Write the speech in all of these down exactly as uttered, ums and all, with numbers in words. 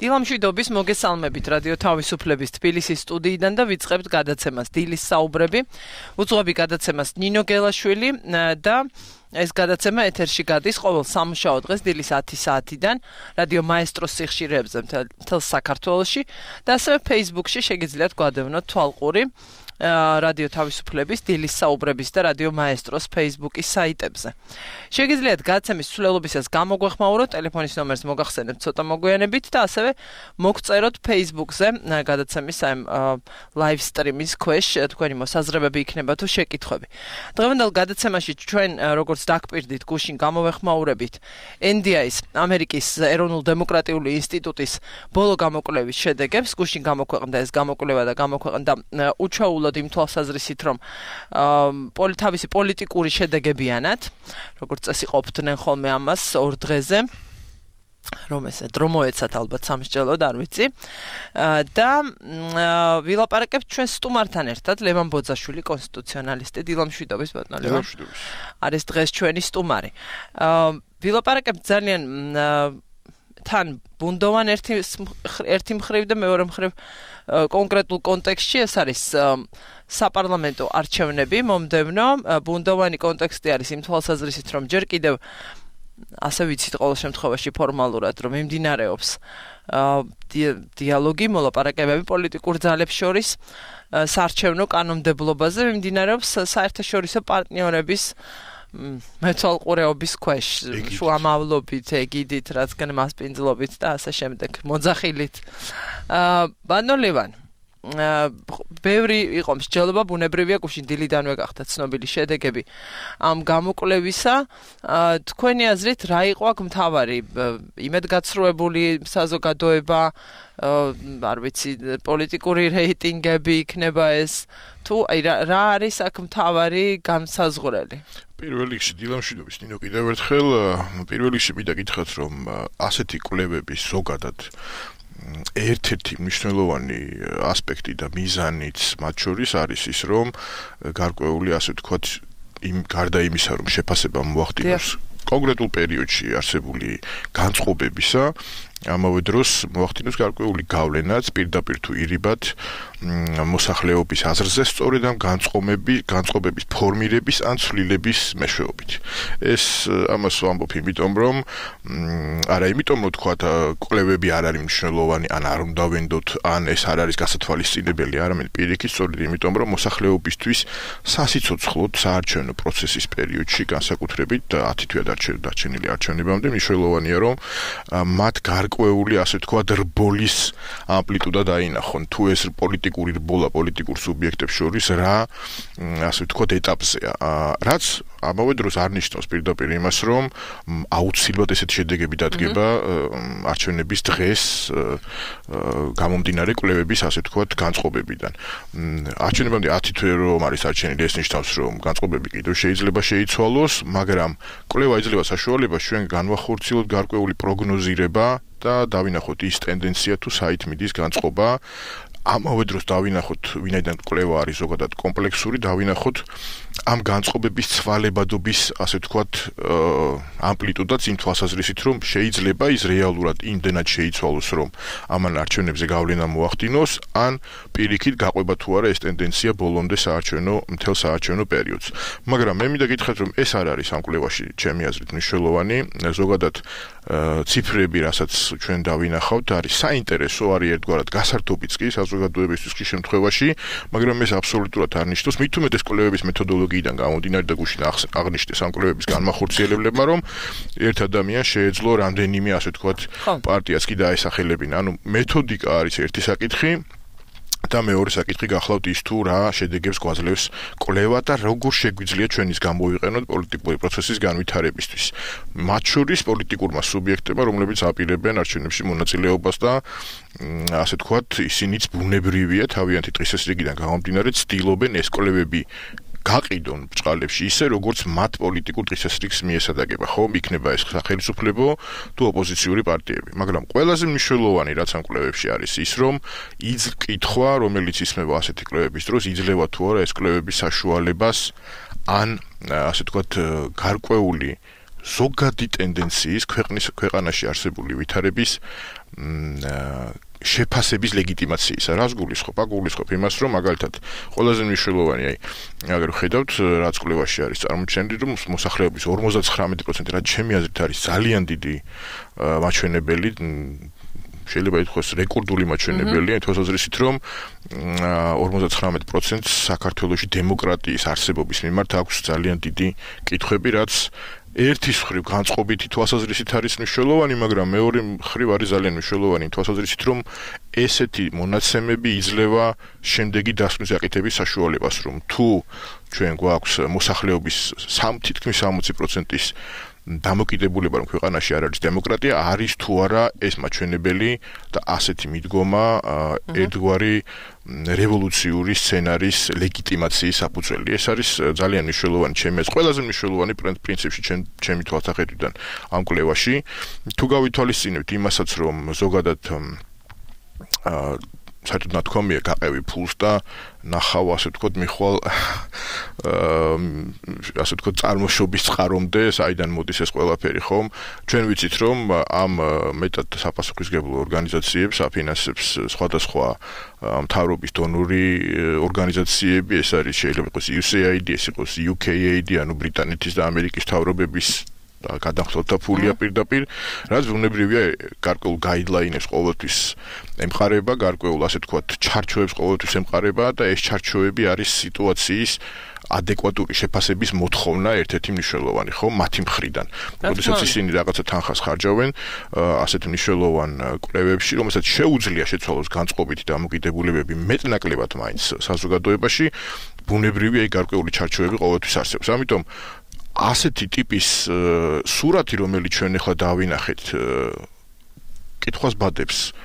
დილამშვიდობის მოგესალმებით რადიო თავისუფლების თბილისის სტუდიიდან და ვიწყებთ გადაცემას დილის საუბრები. უძღვები გადაცემას ნინო გელაშვილი და ეს გადაცემა ეთერში გადის ყოველ სამუშაო დღეს დილის ათი საათიდან რადიო მაესტროს სიხშირეებზე მთელ საქართველოში და ასევე Facebook-ში შეგიძლიათ გვადევნოთ თვალყური რადიო თავისუფლების დილის საუბრების და რადიო მაესტროს Facebook-ის საიტებზე. შეგიძლიათ გადაცემის ცვლილობისას გამოგვეხმაუროთ, ტელეფონის ნომერს მოგახსენებთ ცოტა მოგვიანებით და ასევე მოგწეროთ Facebook-ზე გადაცემის ამ live stream-ის ქვეშ თქვენი მოსაზრებები იქნება თუ შეკითხვები. დღევანდელ გადაცემაში ჩვენ როგორც დაგპირდით გუშინ გამოვეხმაურებით ენ დი აის ამერიკის ეროვნულ დემოკრატიული ინსტიტუტის ბოლო გამოკვლევის შედეგებს. გუშინ გამოქვეყნდა ეს გამოკვლევა და გამოქვეყნდა უჩვეულოდ იმ თვალსაზრისით, რომ თავისი პოლიტიკური შედეგებიანად, როგორც წესი ყოფდნენ ხოლმე ამას ორ დღეზე, რომ ესე დრო მოეცათ ალბათ სამსჯელოდ, არ ვიცი. და ვილაპარაკებთ ჩვენ სტუმართან ერთად, ლევან ბოძაშვილი, კონსტიტუციონალისტი, დილამშვიდობის ბატონო ლევან. არის დღეს ჩვენი სტუმარი. ვილაპარაკებთ ძალიან თან ბუნდოვან ერთი ერთი მხრივ და მეორე მხრივ კონკრეტულ კონტექსტში ეს არის საპარლამენტო არჩევნები მომდევნო. ბუნდოვანი კონტექსტი არის იმ თვალსაზრისით, რომ ჯერ კიდევ ასე ვიცით ყოველ შემთხვევაში ფორმალურად, რომ მიმდინარეობს დიალოგი, მოლაპარაკებები პოლიტიკურ ძალებს შორის საარჩევნო კანონმდებლობაზე, მიმდინარეობს საერთაშორისო პარტნიორების მეთვალყურეობის ქვეშ, შუამავლობით, ეგიდით, რადგან მასპინძლობით და ასე შემდეგ, მოძახილით. ბატონო ლევან, ბევრი იყო მსჯელობა, ბუნებრივია, გუშინ დილიდანვე გახდა ცნობილი შედეგები ამ გამოკვლევისა. თქვენი აზრით, რა იყო აქ მთავარი? იმედგაცრუებული საზოგადოება, არ ვიცი, პოლიტიკური რეიტინგები იქნება ეს, თუ რა არის აქ მთავარი განსაზღვრელი? პირველ რიგში დილამშვიდობის ნინო კიდევ ერთხელ, პირველ რიგში მინდა გითხრათ, რომ ასეთი კვლევების ზოგადად ერთ-ერთი მნიშვნელოვანი ასპექტი და მიზანიც მათ შორის არის ის, რომ გარკვეული, ასე ვთქვათ, იმ გარდა იმისა, რომ შეფასება მოახდინოს კონკრეტულ პერიოდში არსებული განწყობებისა, ამავე დროს მოახდინოს გარკვეული გავლენაც პირდაპირ თუ ირიბად მოსახლეობის აზრზე სწორედ ამ განწყობების ფორმირების ან ცვლილების მეშვეობით. ეს ამას ვამბობ იმიტომ, რომ არა იმიტომ, რომ თქვა კვლევები არ არის მნიშვნელოვანი, ან არ უნდა ვენდოთ, ან ეს არ არის გასათვალისწინებელი, არამედ პირიქით სწორედ იმიტომ, რომ მოსახლეობისთვის სასიცოცხლოდ საარჩევნო პროცესის პერიოდში, განსაკუთრებით ათი თვე დარჩენილი არჩევნებამდე, მნიშვნელოვანია, რომ მათ გარკვეული, ასე ვთქვათ, რბოლის ამპლიტუდა დაინახონ, თუ ეს პოლიტიკური რბოლა პოლიტიკურ სუბიექტებს შორის რა, ასე ვთქვათ, ეტაპზეა. რაც ამავე დროს არ ნიშნავს პირდაპირ იმას, რომ აუცილებლად ესეთი შედეგები დადგება არჩევნების დღეს გამომდინარე კვლევების, ასე ვთქვათ, განწყობებიდან. არჩევნებამდე ათი თვე რომ არის არჩენილი, ეს ნიშნავს, რომ განწყობები კიდევ შეიძლება შეიცვალოს, მაგრამ კვლევა იძლევა საშუალებას ჩვენ განვახორციელოთ გარკვეული პროგნოზირება და დავინახოთ ის ტენდენცია თუ საით მიდის განწყობა. ამავე დროს დავინახოთ, ვინაიდან კვლევა არის ზოგადად კომპლექსური, დავინახოთ ამ განწყობების ცვალებადობის, ასე ვთქვათ, ამპლიტუდაც იმ თვალსაზრისით, რომ შეიძლება ის რეალურად იმდენად შეიცვალოს, რომ ამან არჩევნებზე გავლენა მოახდინოს, ან პირიქით გაყვება თუ არა ეს ტენდენცია ბოლომდე საარჩევნო, მთელ საარჩევნო პერიოდს. მაგრამ მე მინდა გითხრათ, რომ ეს არ არის ამ კვლევაში, ჩემი აზრით, მნიშვნელოვანი. ზოგადად ციფრები, რასაც ჩვენ დავინახავთ, არის საინტერესო, არის ერთგვარად გასართობიც კი საზოგადოებისთვის ხშირ შემთხვევაში, მაგრამ ეს აბსოლუტურად არ ნიშნავს, მით უმეტეს კვლევების მეთოდოლოგიიდან გამომდინარე და გუშინ აღნიშნეს ამ კვლევების განმახორციელებლებმა, რომ ერთ ადამიანს შეეძლო რამდენიმე, ასე ვთქვათ, პარტიას კი დაესახელებინა. ანუ მეთოდიკა არის ერთი საკითხი, და მეორე საკითხი გახლავთ ის თუ რა შედეგებს გვაძლევს კვლევა და როგორ შეგვიძლია ჩვენ ის გამოვიყენოთ პოლიტიკური პროცესის განვითარებისთვის. მათ შორის პოლიტიკურმა სუბიექტებმა, რომლებიც აპირებენ არჩევნებში მონაწილეობას და ასე ვთქვათ, ისინიც ბუნებრივია თავიანთი დღესასრიგიდან გამომდინარე ცდილობენ ეს კვლევები გაყიდონ ბრჭყალებში ისე, როგორც მათ პოლიტიკურ დღესასრიგს მიესადაგება, ხო, იქნება ეს სახელმწიფო თუ ოპოზიციური პარტიები. მაგრამ ყველაზე მნიშვნელოვანი, რაც ამ კვლევებში არის, ის რომ იკითხვა, რომელიც ისმება ასეთი კვლევების დროს, იძლევა თუ არა ეს კვლევების საშუალებას ან ასე ვთქვათ, გარკვეული ზოგადი ტენდენციის ქვეყნის ქვეყანაში არსებული ვითარების შეფასების ლეგიტიმაციისა. რას გულისხმობ? აგულისხმობ იმას, რომ მაგალითად ყველაზე მნიშვნელოვანი, აი, აგერ ხედავთ, რაც კვლევაში არის წარმოჩენილი, რომ მოსახლეობის ორმოცდათხრამეტი პროცენტი, რაც ჩემი აზრით არის ძალიან დიდი მაჩვენებელი, შეიძლება ითქვას რეკორდული მაჩვენებელია, თვალსაზრისით, რომ ორმოცდათხრამეტი პროცენტს საქართველოში დემოკრატიის არსებობის მიმართ აქვს ძალიან დიდი კითხვები, რაც ერთის მხრივ განწყობითი თვალსაზრისით არის მნიშვნელოვანი, მაგრამ მეორე მხრივ არის ძალიან მნიშვნელოვანი თვალსაზრისით, რომ ესეთი მონაცემები იძლევა შემდეგი დასკვნის აკეთების საშუალებას, რომ თუ ჩვენ გვაქვს მოსახლეობის თითქმის სამოცი პროცენტის დამოკიდებულება, რომ ქვეყანაში არ არის დემოკრატია, არის თუ არა ეს მაჩვენებელი და ასეთი მიდგომა ერთგვარი რევოლუციური სცენარის ლეგიტიმაციის საფუძველი. ეს არის ძალიან მნიშვნელოვანი ჩემი აზრით, ყველაზე მნიშვნელოვანი პრინციპში ჩემი თვალსაჩინოდან ამ კვლევაში. თუ გავითვალისწინებთ იმასაც, რომ ზოგადად საერთოდ ნათქვამია გაყევი ფულს და ნახავ, ასე ვთქვათ, მიხვალ ასე ვთქვათ, წარმოშობის წყარომდე, საიდან მოდის ეს ყველაფერი, ხომ? ჩვენ ვიცით, რომ ამ მეტად საპასუხისმგებლო ორგანიზაციებს აფინანსებს სხვადასხვა მთავრობის დონორი ორგანიზაციები, ეს არის შეიძლება იყოს U S A I D, ეს იყოს U K A I D, ანუ ბრიტანეთის და ამერიკის მთავრობების და გადახდოთა ფულია პირდაპირ, რაც ბუნებრივია გარკვეულ გაიდლაინებს ყოველთვის ემყარება, გარკვეულ ასე ვთქვათ, ჩარჩოებს ყოველთვის ემყარება და ეს ჩარჩოები არის სიტუაციის ადეკვატური შეფასების მოთხოვნა ერთ-ერთი მნიშვნელოვანი, ხო, მათი მხრიდან. როდესაც ისინი რაღაცა თანხას ხარჯავენ ასეთ მნიშვნელოვან კვლევებში, რომელსაც შეუძლია შეცვალოს განწყობითი დამოკიდებულებები მეტნაკლებად მაინც საზოგადოებაში, ბუნებრივია გარკვეული ჩარჩოები ყოველთვის არსებობს. ამიტომ ასეთი ტიპის სურათი, რომელიც ჩვენ ახლა დავინახეთ, კითხვას ბადებს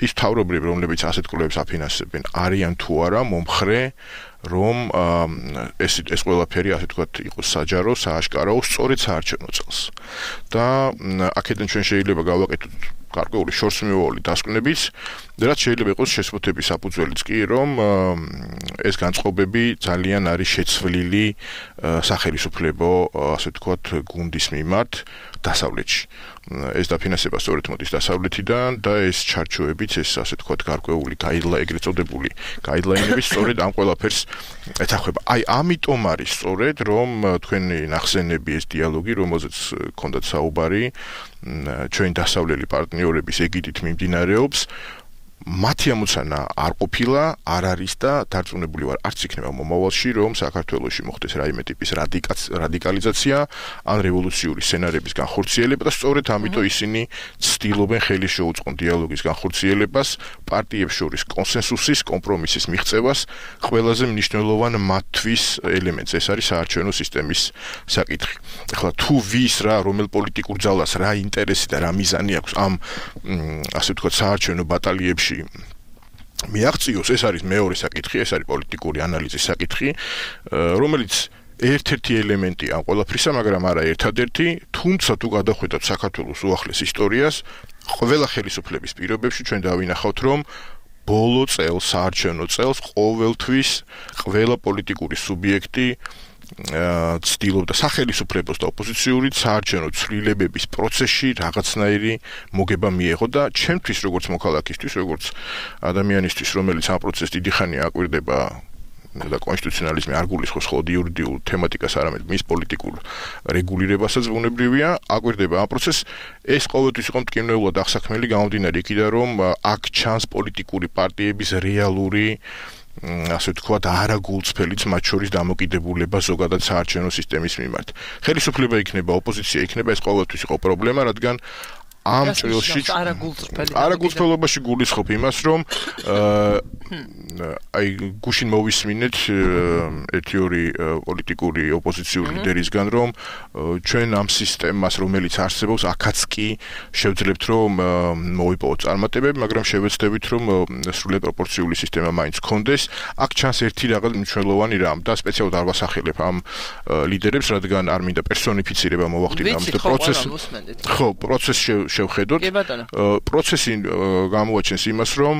ის თავრობრივი, რომლებიც ასეთ კვლევებს აფინანსებენ, არიან თუ არა მომხრე, რომ ეს ეს ყველაფერი, ასე ვთქვათ, იყოს საჯარო, სააშკარო, სწორედ საარჩევნო წელს. და აქედან ჩვენ შეიძლება გავაკეთოთ გარკვეული შორსმიოვანი დასკვნებიც, რაც შეიძლება იყოს შესწორების საფუძველიც კი, რომ ეს განწყობები ძალიან არის შეცვლილი სახელმწიფო, ასე ვთქვათ, გუნდის მიმართ დასავლეთში. ეს დაფინანსება სწორედ მოდის დასავლეთიდან და ეს ჩარჩოებიც, ეს ასე ვთქვათ, გარკვეული გაიდლაინები, ეგრეთ წოდებული გაიდლაინები სწორედ ამ ყველაფერს ეთახება. აი, ამიტომ არის სწორედ, რომ თქვენი ნახსენები, ეს დიალოგი, რომელზეც გქონდათ საუბარი, ჩვენი დასავლელი პარტნიორების ეგიდით მიმდინარეობს, მათი ამოცანა არ ყოფილა, არ არის და დარწმუნებული ვარ, არც იქნება მომავალში, რომ საქართველოში მოხდეს რაიმე ტიპის რადიკალიზაცია ან რევოლუციური სცენარების განხორციელება და სწორედ ამიტომ ისინი ცდილობენ ხელი შეუწყონ დიალოგის განხორციელებას, პარტიებს შორის კონსენსუსის, კომპრომისის მიღწევას, ყველაზე მნიშვნელოვან მათთვის ელემენტს, ეს არის საარჩევნო სისტემის საკითხი. ახლა თუ ვის რა, რომელ პოლიტიკურ ძალას რა ინტერესი და რა მიზანი აქვს ამ ასე ვთქვათ, საარჩევნო ბატალიებში მიაღწიოს, ეს არის მეორე საკითხი, ეს არის პოლიტიკური ანალიზის საკითხი, რომელიც ერთ-ერთი ელემენტი ამ ყველაფრისა, მაგრამ არა ერთადერთი, თუმცა თუ გადახვიდოთ საქართველოს უახლეს ისტორიას, ყველა ხელისუფლების პირობებში ჩვენ დავინახავთ, რომ ბოლო წელს, საარჩევნო წელს ყოველთვის ყველა პოლიტიკური სუბიექტი ცდილობდა სახელისუფლებას და ოპოზიციურით საარჩევნო ცვლილებების პროცესში რაღაცნაირი მოგება მიეღო და ჩემთვის როგორც მოქალაქისთვის, როგორც ადამიანისთვის, რომელიც ამ პროცესს დიდი ხანია აკვირდება და კონსტიტუციონალიზმი არ გულისხმობს მხოლოდ იურიდიულ თემატიკას, არამედ მის პოლიტიკურ რეგულირებასაც ბუნებრივია, აკვირდება ამ პროცესს, ეს ყოველთვის იყო მტკივნეულად აღსაქმელი გამომდინარე იქიდან, რომ აქ ჩანს პოლიტიკური პარტიების რეალური ასე ვთქვათ, არაგულწრფელიც მათ შორის დამოკიდებულება ზოგადად საარჩევნო სისტემის მიმართ. ხელისუფლება იქნება, ოპოზიცია იქნება, ეს ყოველთვის იყო პრობლემა, რადგან ამ ჭრილში არაგულწრფელობაში გულისხმობ იმას, რომ აი გუშინ მოვისმინეთ ერთი ორი პოლიტიკური ოპოზიციური ლიდერისგან, რომ ჩვენ ამ სისტემას, რომელიც არსებობს, აქაც კი შევძლებთ, რომ მოვიპოვოთ წარმატებები, მაგრამ შევეცდებით, რომ სრულიად პროპორციული სისტემა მაინც გქონდეს. აქ ჩანს ერთი რაღაც მნიშვნელოვანი რამ და სპეციალურად არ ვასახელებ ამ ლიდერებს, რადგან არ მინდა პერსონიფიცირება მოვახდინო ამის და პროცესს ხო, პროცესს შევხედოთ, პროცესი გამოაჩენს იმას, რომ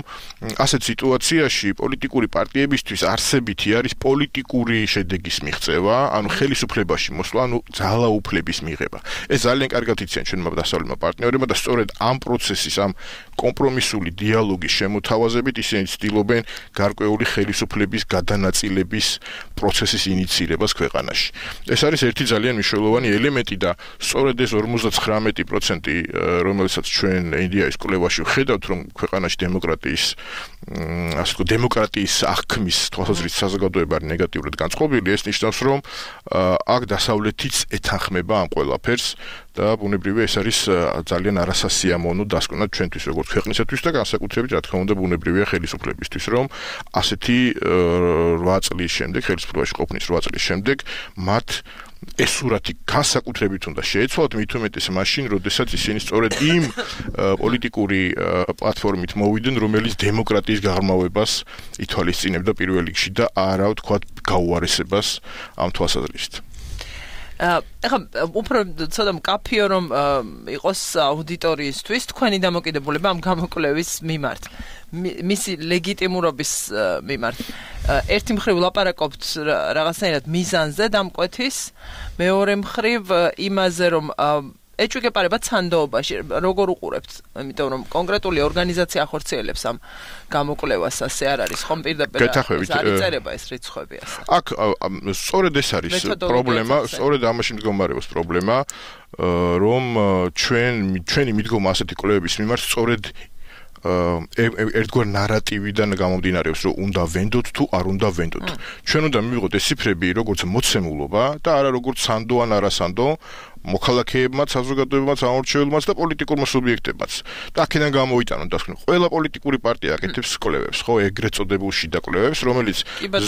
ასეთ სიტუაციაში პოლიტიკური პარტიებისთვის არსებითი არის პოლიტიკური შედეგის მიღწევა, ანუ ხელისუფლებაში მოსვლა, ანუ ძალაუფლების მიღება. ეს ძალიან კარგად იციან ჩვენმა დასავლეთმა პარტნიორებმა და სწორედ ამ პროცესის, ამ კომპრომისული დიალოგის შემოთავაზებით ისინი ცდილობენ გარკვეული ხელისუფლების გადანაწილების პროცესის ინიციირებას ქვეყანაში. ეს არის ერთი ძალიან მნიშვნელოვანი ელემენტი და სწორედ ეს ორმოცდათხრამეტი პროცენტი, რომელსაც ჩვენ ინდიაის კვლევაში ვხედავთ, რომ ქვეყანაში დემოკრატიის, ასე ვთქვათ, დემოკრატიის აღქმის თვალსაზრისით საზოგადოება არის ნეგატიურად განწყობილი, ეს ნიშნავს, რომ აქ დასავლეთიც ეთანხმება ამ ყველაფერს და ბუნებრივია ეს არის ძალიან არასასიამოვნო დასკვნა ჩვენთვის როგორც ქვეყნისათვის და განსაკუთრებით რა თქმა უნდა ბუნებრივია ხელისუფლებისთვის, რომ ასეთი რვა წლის შემდეგ, ხელისუფლებაში ყოფნის რვა წლის შემდეგ მათ ეს სურათი განსაკუთრებით უნდა შეეცვალათ, მით უმეტეს მაშინ, როდესაც ისინი სწორედ იმ პოლიტიკური პლატფორმით მოვიდნენ, რომელიც დემოკრატიის გაღრმავებას ითვალისწინებდა პირველ რიგში და არა ვთქვათ გაუარესებას ამ თვალსაზრისით. ეხლა უფრო ცოტა მკაფიო რომ იყოს აუდიტორიისთვის თქვენი დამოკიდებულება ამ გამოკვლევის მიმართ, მისი ლეგიტიმურობის მიმართ. ერთი მხრივ ლაპარაკობთ რაღაცნაირად მიზანზე დამკვეთის, მეორე მხრივ იმაზე რომ ეჭვგეპარება ცანდოობაში როგორ უყურებთ, იმიტომ რომ კონკრეტული ორგანიზაცია ახორციელებს ამ გამოკვლევას, ასე არ არის ხომ პირდაპირ არის წერება ეს რიცხვები ასე. აქ სწორედ ეს არის პრობლემა, სწორედ ამაში მდგომარეობს პრობლემა, რომ ჩვენ ჩვენი მიდგომა ასეთი კვლევების მიმართ სწორედ ერთგვარ ნარატივიდან გამომდინარეობს, რომ უნდა ვენდოთ თუ არ უნდა ვენდოთ. ჩვენ უნდა მივიღოთ ეს ციფრები როგორც მოცემულობა და არა როგორც სანდო ან არასანდო მოქალაქეებმაც, საზოგადოებებმაც, ამორჩეველებმაც და პოლიტიკურმა სუბიექტებმაც. და აქედან გამოიტანონ დასკვნა. ყველა პოლიტიკური პარტია აკეთებს კვლევებს, ხო, ეგრეთ წოდებულ შიდა კვლევებს, რომელიც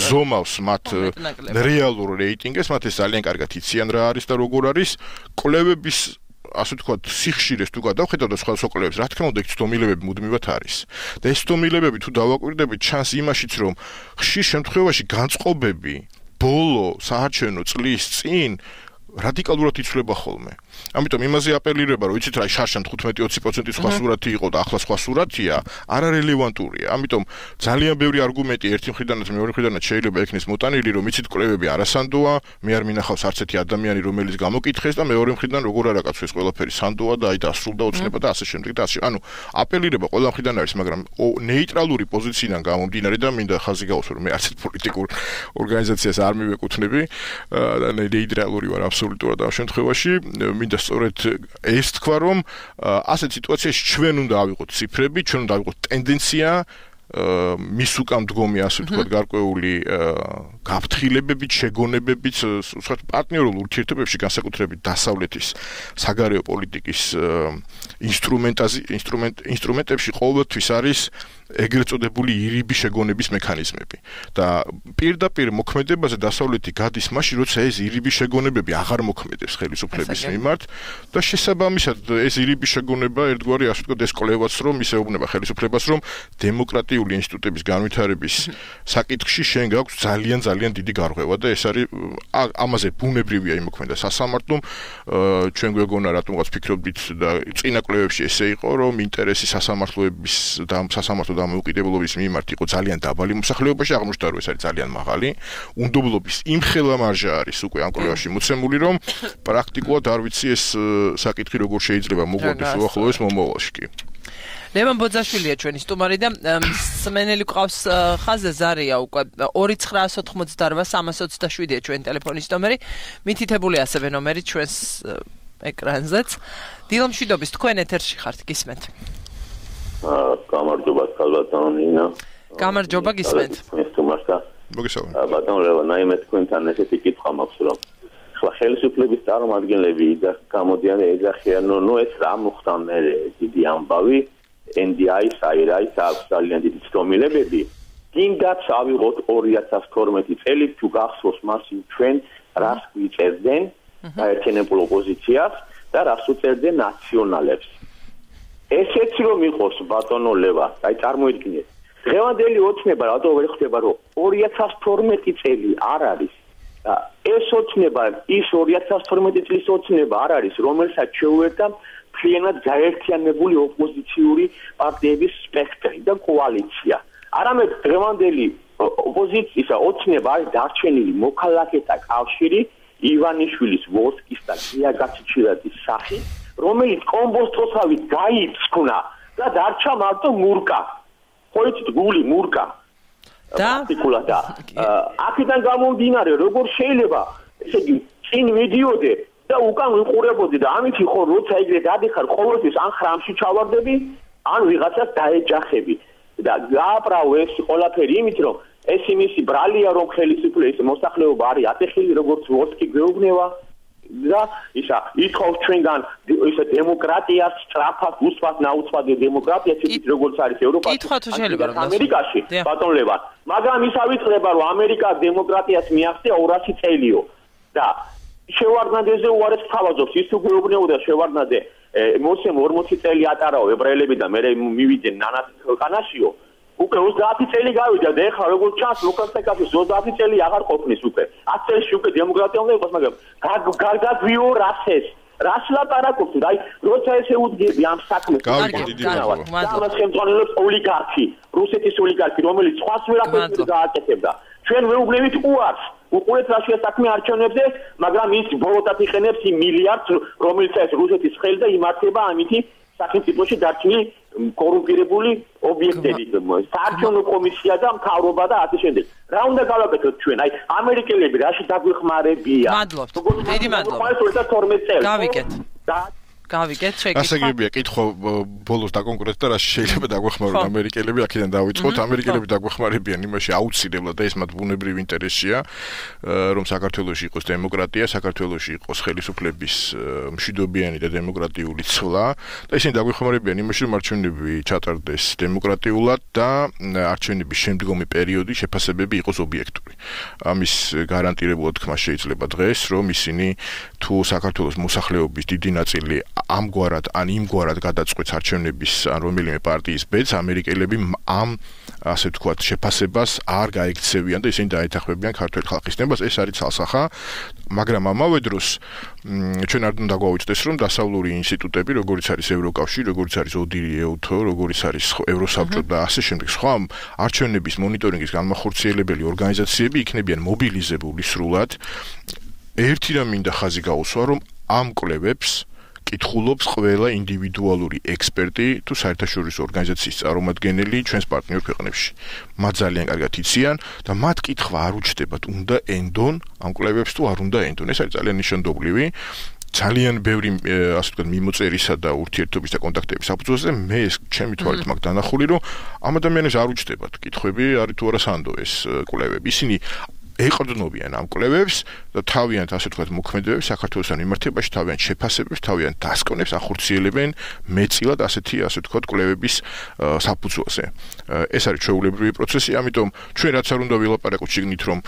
ზომავს მათ რეალურ რეიტინგებს, მათ ეს ძალიან კარგად იციან რა არის და როგორ არის კვლევების ასე ვთქვათ, სიხშირეს თუ გადავხედავ და სხვა სოკოლებს, რა თქმა უნდა, ეს ცდომილებები მუდმივად არის. და ეს ცდომილებები თუ დავაკვირდებით, ჩანს იმაშიც, რომ ხშირ შემთხვევაში განწყობები ბოლო საარჩევნო წლის წინ რადიკალურად იცვლება ხოლმე. ამიტომ იმაზე აპელირება, რომ იცით რა, შარშან თხუთმეტი ოცი პროცენტი სხვა სურათი იყო და ახლა სხვა სურათია, არარელევანტურია. ამიტომ ძალიან ბევრი არგუმენტი ერთი მხრიდანაც მეორე მხრიდანაც შეიძლება ექნეს მოტანილი, რომ იცით კვლევები არასანდოა, მე არ მინახავს არც ერთი ადამიანი, რომელიც გამოკითხეს და მეორე მხრიდან როგორ არ აკაცო ეს ყველაფერი სანდოა და აი დასრულდა ოცნება და ასე შემდეგ და ასე. ანუ აპელირება ყველა მხრიდან არის, მაგრამ ნეიტრალური პოზიციიდან გამომდინარე და მინდა ხაზი გაუსვა, რომ მე არც ერთ პოლიტიკურ ორგანიზაციას არ მივეკუთვნები და ნეიტრალური ვარ აბსოლუტურად ამ შემთხვევაში. მინდა სწორედ ეს თქვა, რომ ასეთ სიტუაციაში ჩვენ უნდა ავიღოთ ციფრები, ჩვენ უნდა ავიღოთ ტენდენცია, მის უკან მდგომი, ასე ვთქვათ, გარკვეული გაფრთხილებებით, შეგონებებით, სხვა პარტნიორულ ურთიერთობებში, განსაკუთრებით დასავლეთის საგარეო პოლიტიკის ინსტრუმენტაზე, ინსტრუმენტ ინსტრუმენტებში ყოველთვის არის ეგრეთ წოდებული ირიბი შეგონების მექანიზმები. და პირდაპირ მოქმედებაზე დასავლეთი გადის მაშინ, როცა ეს ირიბი შეგონებები აღარ მოქმედებს ხელისუფლების მიმართ და შესაბამისად ეს ირიბი შეგონება ერთგვარი, ასე ვთქვათ, ეს კვლევაც რომ ისეუბნება ხელისუფლებას, რომ დემოკრატიული ინსტიტუტების განვითარების საკითხში შენ გაქვს ძალიან ძალიან დიდი გარღვევა და ეს არის ამაზე ბუნებრივია იმოქმედა სასამართლომ. ჩვენ გვეგონა რატომღაც ფიქრობთ და წინა კვლევებში ესე იყო, რომ ინტერესი სასამართლოების და სასამართლო დამოუკიდებლობის მიმართ იყო ძალიან დაბალი მოსახლეობაში, აღმოჩნდა რომ ეს არის ძალიან მაღალი. უნდობლობის იმხელა მარჟა არის უკვე ამ კვლევაში მოცემული, რომ პრაქტიკულად არ ვიცი ეს საკითხი როგორ შეიძლება მოგვარდეს უახლოეს მომავალში კი. ლევან ბოძაშვილია ჩვენი სტუმარი და სმენელი ყავს ხაზზე ზარია უკვე ორი ცხრაას ოთხმოცდარვა სამას ოცდაშვიდია ჩვენი ტელეფონის ნომერი, მითითებული ასევე ნომერი ჩვენს ეკრანზეც. დილომშვიდობის, თქვენ ეთერში ხართ, გისმენთ. გამარჯობა ქალბატონო ნინა. გამარჯობა, გისმენთ. მოგესალმებით. ბატონო ლევან, აი მე თქვენთან ესეთი კითხვა მაქვს, რომ ხლა ხელისუფლების წარმომადგენლები გამოდიან ეძახიან, ნუ ეს რა მოხდა მე დიდი ამბავი, ენ დი აის აირაის აქვს ძალიან დიდი ცდომილებები. კიდაც ავიღოთ ორი ათას თორმეტი წელი თუ გახსოვს მასი ჩვენ რას გვიწერდნენ გაერთიანებულ ოპოზიციას და რას უწერდნენ ნაციონალებს. ესეც რომ იყოს ბატონო ლევან, აი წარმოიდგინეთ დღევანდელი ოცნება რატო ვერ ხდება, რომ ორი ათას თორმეტი წელი არ არის ეს ოცნება ის ორი ათას თორმეტი წლის ოცნება არ არის, რომელსაც შეუერთდა მთლიანად გაერთიანებული ოპოზიციური პარტიების სპექტრი და კოალიცია. არამედ დღევანდელი ოპოზიციის ოცნება არის დარჩენილი მოქალაქეთა კავშირი, ივანიშვილის, ვოსკის და გია გაჩიჩილაძის სახით, რომელიც კომბოსტოსავით გაიწკნა და დარჩა მარტო მურკა. ხო იცით, გული მურკა. და პარტიკულადა. აქედან გამომდინარე, როგორ შეიძლება, ესე იგი, წინ მიდიოდე და უკან ვიყურებოდი და ამითი ხო როცა ეგრე გადიხარ, ყოველთვის ან ხრამში ჩავარდები, ან ვიღაცას დაეჯახები. და გააправო ეს ყველაფერი იმით, რომ ეს იმისი ბრალია, რომ ხელისუფლების მოსახლეობა არის ატეხილი, როგორც ვოსკი გვეუბნება და ისა ითხოვს ჩვენგან ისა დემოკრატიას, სწრაფად, უსვათ, ნაუცვად დემოკრატიას, ისიც როგორც არის ევროპაში, ამერიკაში, ბატონლებად. მაგრამ ის ავიწყდება, რომ ამერიკა დემოკრატიას მიაღწია ორასი წელიო და შევარდნაძეზე უარეს თავაზობს, ის თუ გვეუბნებოდა შევარდნაძე მოსემ ორმოცი წელი ატარაო ებრაელები და მე მივიდნენ ნანას ქვეყანაშიო. უკვე ოცდაათი წელი გავიდა და ეხლა როგორც ჩანს ლუკასენკოს ოცდაათი წელი აღარ ყოფნის უკვე. ათი წელში უკვე დემოკრატია უნდა იყოს, მაგრამ გარგაგვიო რასეს. რას ლაპარაკობთ? აი, როცა ესე უდგები ამ საქმეს. ამას ხელმძღვანელობს ოლიგარქი, რუსეთის ოლიგარქი, რომელიც სხვას ვერაფერს გააკეთებდა. ჩვენ ვეუბნებით უარს. უყურეთ რა შეასაქმე არჩევნებზე, მაგრამ ის ბოლოდად იყენებს იმ მილიარდს, რომელსაც რუსეთის ხელი და იმართება ამითი სახელმწიფოში დარჩენილი კორუმპირებული ობიექტები, საარჩევნო კომისია და მთავრობა და ასე შემდეგ. რა უნდა გავაკეთოთ ჩვენ? აი, ამერიკელები რაში დაგვეხმარებიან? მადლობთ. დიდი მადლობა. გავიგეთ. გავიგეთ, შეგიძლია. ასაგებია, კითხვა ბოლოს დაკონკრეტეთ და რა შეიძლება დაგვეხმარონ ამერიკელები, აქედან დავიწყოთ. ამერიკელები დაგვეხმარებიან იმაში აუცილებლად და ეს მათ ბუნებრივი ინტერესია, რომ საქართველოში იყოს დემოკრატია, საქართველოში იყოს ხელისუფლების მშვიდობიანი და დემოკრატიული ცვლა და ისინი დაგვეხმარებიან იმაში, რომ არჩევნები ჩატარდეს დემოკრატიულად და არჩევნების შემდგომი პერიოდი შეფასებები იყოს ობიექტური. ამის გარანტირებულად თქმა შეიძლება დღეს, რომ ისინი თუ საქართველოს მოსახლეობის დიდი ნაწილი ამგვარად ან იმგვარად გადაწყვეტს არჩევნების ან რომელიმე პარტიის ბედს, ამერიკელები ამ ასე ვთქვათ შეფასებას არ გაიქცევიან და ისინი დაეთანხმებიან ქართული ხალხის ნებას. ეს არის ცალსახა, მაგრამ ამავე დროს ჩვენ არ უნდა გვაუწყდეს, რომ დასავლური ინსტიტუტები, როგორც არის ევროკავშირი, როგორც არის ოდირი, ეუთო, როგორც არის ევროსაბჭო და ასე შემდეგ, სხვა არჩევნების მონიტორინგის განმახორციელებელი ორგანიზაციები იქნებიან მობილიზებული სრულად. ერთი რამ მინდა ხაზი გაუსვა, რომ ამ კვლევებს კითხულობს ყველა ინდივიდუალური ექსპერტი თუ საერთაშორისო ორგანიზაციის წარმომადგენელი ჩვენს პარტნიორ ქვეყნებში. მათ ძალიან კარგად იციან და მათ კითხვა არ უჩნდებათ, უნდა ენდონ ამ კვლევებს თუ არ უნდა ენდონ. ეს არის ძალიან ნიშანდობლივი. ძალიან ბევრი ასე ვთქვათ მიმოწერისა და ურთიერთობის და კონტაქტების საფუძველზე მე ეს ჩემი თვალით მაქვს დანახული, რომ ამ ადამიანებს არ უჩნდებათ კითხვები, არის თუ არა სანდო ეს კვლევები. ისინი ეყრდნობიან ამ კვლევებს და თავიანთ ასე ვთქვათ მოქმედებებს საქართველოსთან მიმართებაში, თავიანთ შეფასებებს, თავიანთ დასკვნებს ახორციელებენ მეტწილად ასეთი ასე ვთქვათ კვლევების საფუძველზე. ეს არის ჩვეულებრივი პროცესი, ამიტომ ჩვენ რაც არ უნდა ვილაპარაკოთ შეგნით, რომ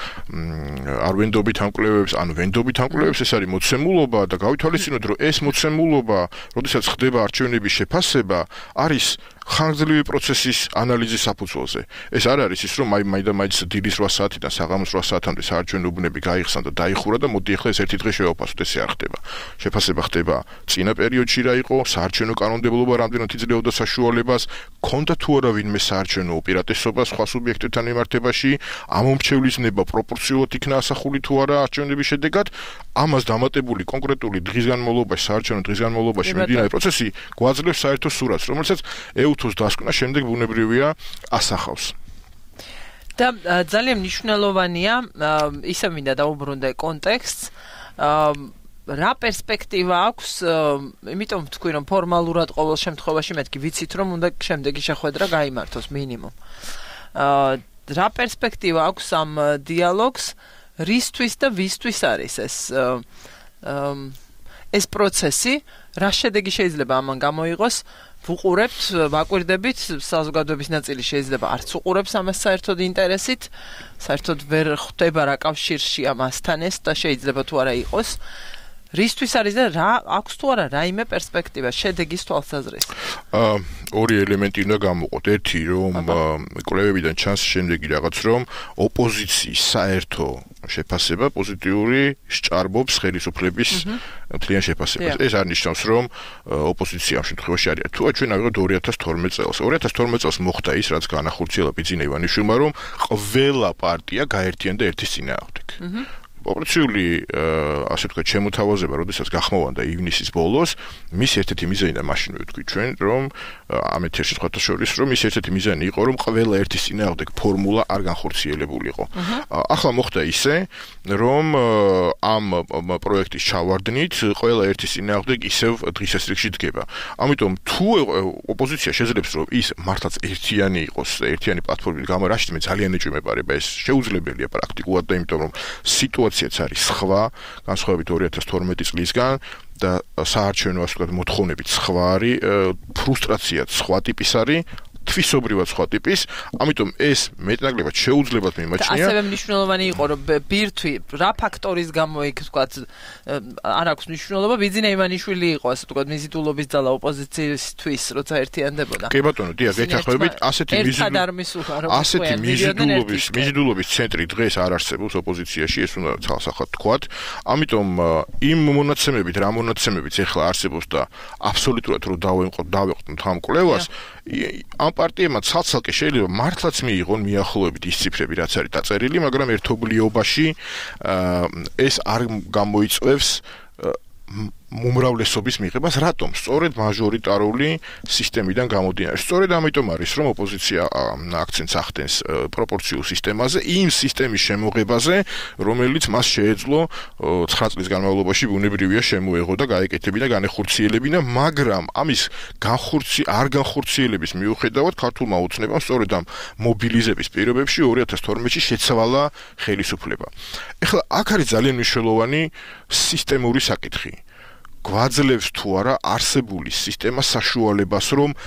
არ ვენდობით ამ კვლევებს, ან ვენდობით ამ კვლევებს, ეს არის მოცემულობა და გავითვალისწინოთ, რომ ეს მოცემულობა, როდესაც ხდება არჩევნების შეფასება, არის ხანგრძლივი პროცესის ანალიზის საფუძველზე. ეს არ არის ის, რომ აი მაინდა-მაინც დილის რვა საათიდან საღამოს რვა საათამდე საარჩევნო უბნები გაიხსნა და დაიხურა და მოდი ახლა ეს ერთი დღე შევაფასოთ, ესე არ ხდება. შეფასება ხდება წინა პერიოდში რა იყო, საარჩევნო კანონმდებლობა რამდენად იძლეოდა საშუალებას, ქონდა თუ არა ვინმე საარჩევნო უპირატესობა სხვა სუბიექტებთან მიმართებაში, ამომრჩევლის ნება პროპორციულად იქნა ასახული თუ არა არჩევნების შედეგად, ამას დამატებული კონკრეტული დღის განმავლობაში, საარჩევნო დღის განმავლობაში მიმდინარე პროცესი გვაძლევს საერთო სურათს, რომელსაც ეუთოს დასკვნა შემდეგ ბუნებრივია ასახავს. და ძალიან მნიშვნელოვანია, ისე მინდა დაუბრუნდე კონტექსტს, რა პერსპექტივა აქვს, იმიტომ ვთქვი, რომ ფორმალურად ყოველ შემთხვევაში მეთქი ვიცით, რომ უნდა შემდეგი შეხვედრა გაიმართოს მინიმუმ. რა პერსპექტივა აქვს ამ დიალოგს, რისთვის და ვისთვის არის ეს ეს პროცესი, რა შედეგი შეიძლება ამან გამოიღოს? ვუყურებთ, ვაკვირდებით, საზოგადოების ნაწილი შეიძლება არც უყურებს ამას საერთოდ ინტერესით, საერთოდ ვერ ხვდება რა კავშირში ამასთან ეს და შეიძლება თუ არა იყოს. რისთვის არის და რა აქვს თუ არა რაიმე პერსპექტივა შედეგის თვალსაზრისით? აა ორი ელემენტი უნდა გამოვყოთ. ერთი რომ კვლევებიდან ჩანს შემდეგი რაღაც რომ ოპოზიციის საერთო შეფასება პოზიტიური სჭარბობს ხელისუფლების მთლიან შეფასებას. ეს არ ნიშნავს რომ ოპოზიცია ამ შემთხვევაში არის. თუ ჩვენ ავიღოთ ორი ათას თორმეტ წელს. ორი ათას თორმეტ წელს მოხდა ის რაც განახორციელა ბიძინა ივანიშვილმა რომ ყველა პარტია გაერთიანდა ერთის წინააღმდეგ. ოპერაციული ასე ვთქვათ შემოთავაზება, როდესაც გახმოვანდა ივნისის ბოლოს, მის ერთ-ერთი მიზანი და მაშინ ვთქვი ჩვენ, რომ ამ ეთერში სხვათა შორის, რომ მის ერთ-ერთი მიზანი იყო, რომ ყველა ერთის წინააღმდეგ ფორმულა არ განხორციელებულიყო. ახლა მოხდა ისე, რომ ამ პროექტის ჩავარდნით ყველა ერთის წინააღმდეგ ისევ დღისას რიგში დგება. ამიტომ თუ ოპოზიცია შეძლებს, რომ ის მართლაც ერთიანი იყოს, ერთიანი პლატფორმით გამო, რაშიც მე ძალიან ეჭვმეპარება, ეს შეუძლებელია პრაქტიკულად და იმიტომ რომ სიტუაცია არის სხვა, განსხვავებით ორი ათას თორმეტი წლისგან და საარჩევნო ასე ვთქვათ მოთხოვნებით სხვა არის, ფრუსტრაციაც სხვა ტიპის არის, თვისობრივად სხვა ტიპის, ამიტომ ეს მეტნაკლებად შეუძლებელად მიმაჩნია. ასევე მნიშვნელოვანი იყო, რომ ბირთვი რა ფაქტორის გამო იქ ვთქვათ არ აქვს მნიშვნელობა, ბიძინა ივანიშვილი იყო ასე ვთქვათ მიზიდულობის ძალა ოპოზიციისთვის, როცა ერთიანდებოდა. კი ბატონო, დიახ, გეთახმებით, ასეთი ასეთი მიზიდულობის მიზიდულობის ცენტრი დღეს არ არსებობს ოპოზიციაში, ეს უნდა ცალსახად თქვათ. ამიტომ იმ მონაცემებით, რა მონაცემებიც ახლა არსებობს და აბსოლუტურად რო დავემყოთ, დავეყოთ ამ კვლევას, ამ პარტიებმა ცალ-ცალკე შეიძლება მართლაც მიიღონ მიახლოებით ის ციფრები, რაც არის დაწერილი, მაგრამ ერთობლიობაში ეს არ გამოიწვევს უმრავლესობის მიღებას, რატომ? სწორედ მაჟორიტარული სისტემიდან გამომდინარე. სწორედ ამიტომ არის, რომ ოპოზიცია აქცენტს ახდენს პროპორციულ სისტემაზე, იმ სისტემის შემოღებაზე, რომელიც მას შეეძლო ცხრა წლის განმავლობაში ბუნებრივია შემოეღო და გაეკეთებინა, განეხორციელებინა, მაგრამ ამის განხორცი არ განხორციელების მიუხედავად ქართულმა ოცნებამ სწორედ ამ მობილიზების პირობებში ორი ათას თორმეტში შეცვალა ხელისუფლება. ეხლა აქ არის ძალიან მნიშვნელოვანი სისტემური საკითხი. გვაძლევს თუ არა არსებული სისტემა საშუალებას, რომ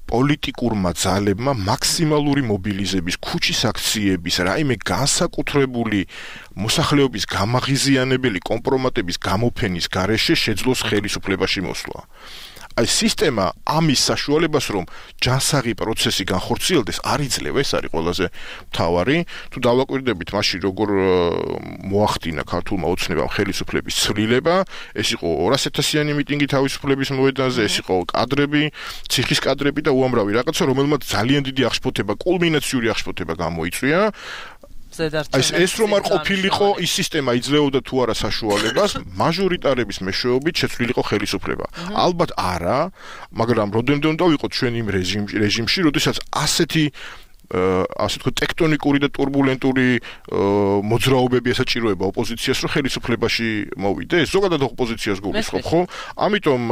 პოლიტიკურმა ძალებმა მაქსიმალური მობილიზების, ქუჩის აქციების, რაიმე განსაკუთრებული მოსახლეობის გამაღიზიანებელი კომპრომატების გამოფენის გარეშე შეძლოს ხელისუფლებაში მოსვლა. აი სისტემა ამის საშუალებას, რომ ჯანსაღი პროცესი განხორციელდეს, არ იძლევა, ეს არის ყველაზე მთავარი. თუ დავაკვირდებით მაშინ როგორ მოახდინა ქართულმა ოცნებამ ხელისუფლების ცვლილება, ეს იყო ორას ათასიანი მიტინგი თავისუფლების მოედანზე, ეს იყო კადრები, ციხის კადრები და უამრავი რაღაცა, რომელმაც ძალიან დიდი აღშფოთება, კულმინაციური აღშფოთება გამოიწვია. ეს ეს რომ არ ყოფილიყო ის სისტემა იძლეოდა თუ არა საშუალებას მაჟორიტარების მეშვეობით შეცვლილიყო ხელისუფლება. ალბათ არა, მაგრამ როდემდე უნდა ვიყოთ ჩვენ იმ რეჟიმში, როდესაც ასეთი ასე ვთქვათ ტექტონიკური და турბულენტური მოძრაობები ესაჭიროება ოპოზიციას, რომ ხელისუფლებაში მოვიდეს. ზოგადად ოპოზიციას გულისხმობ, ხო? ამიტომ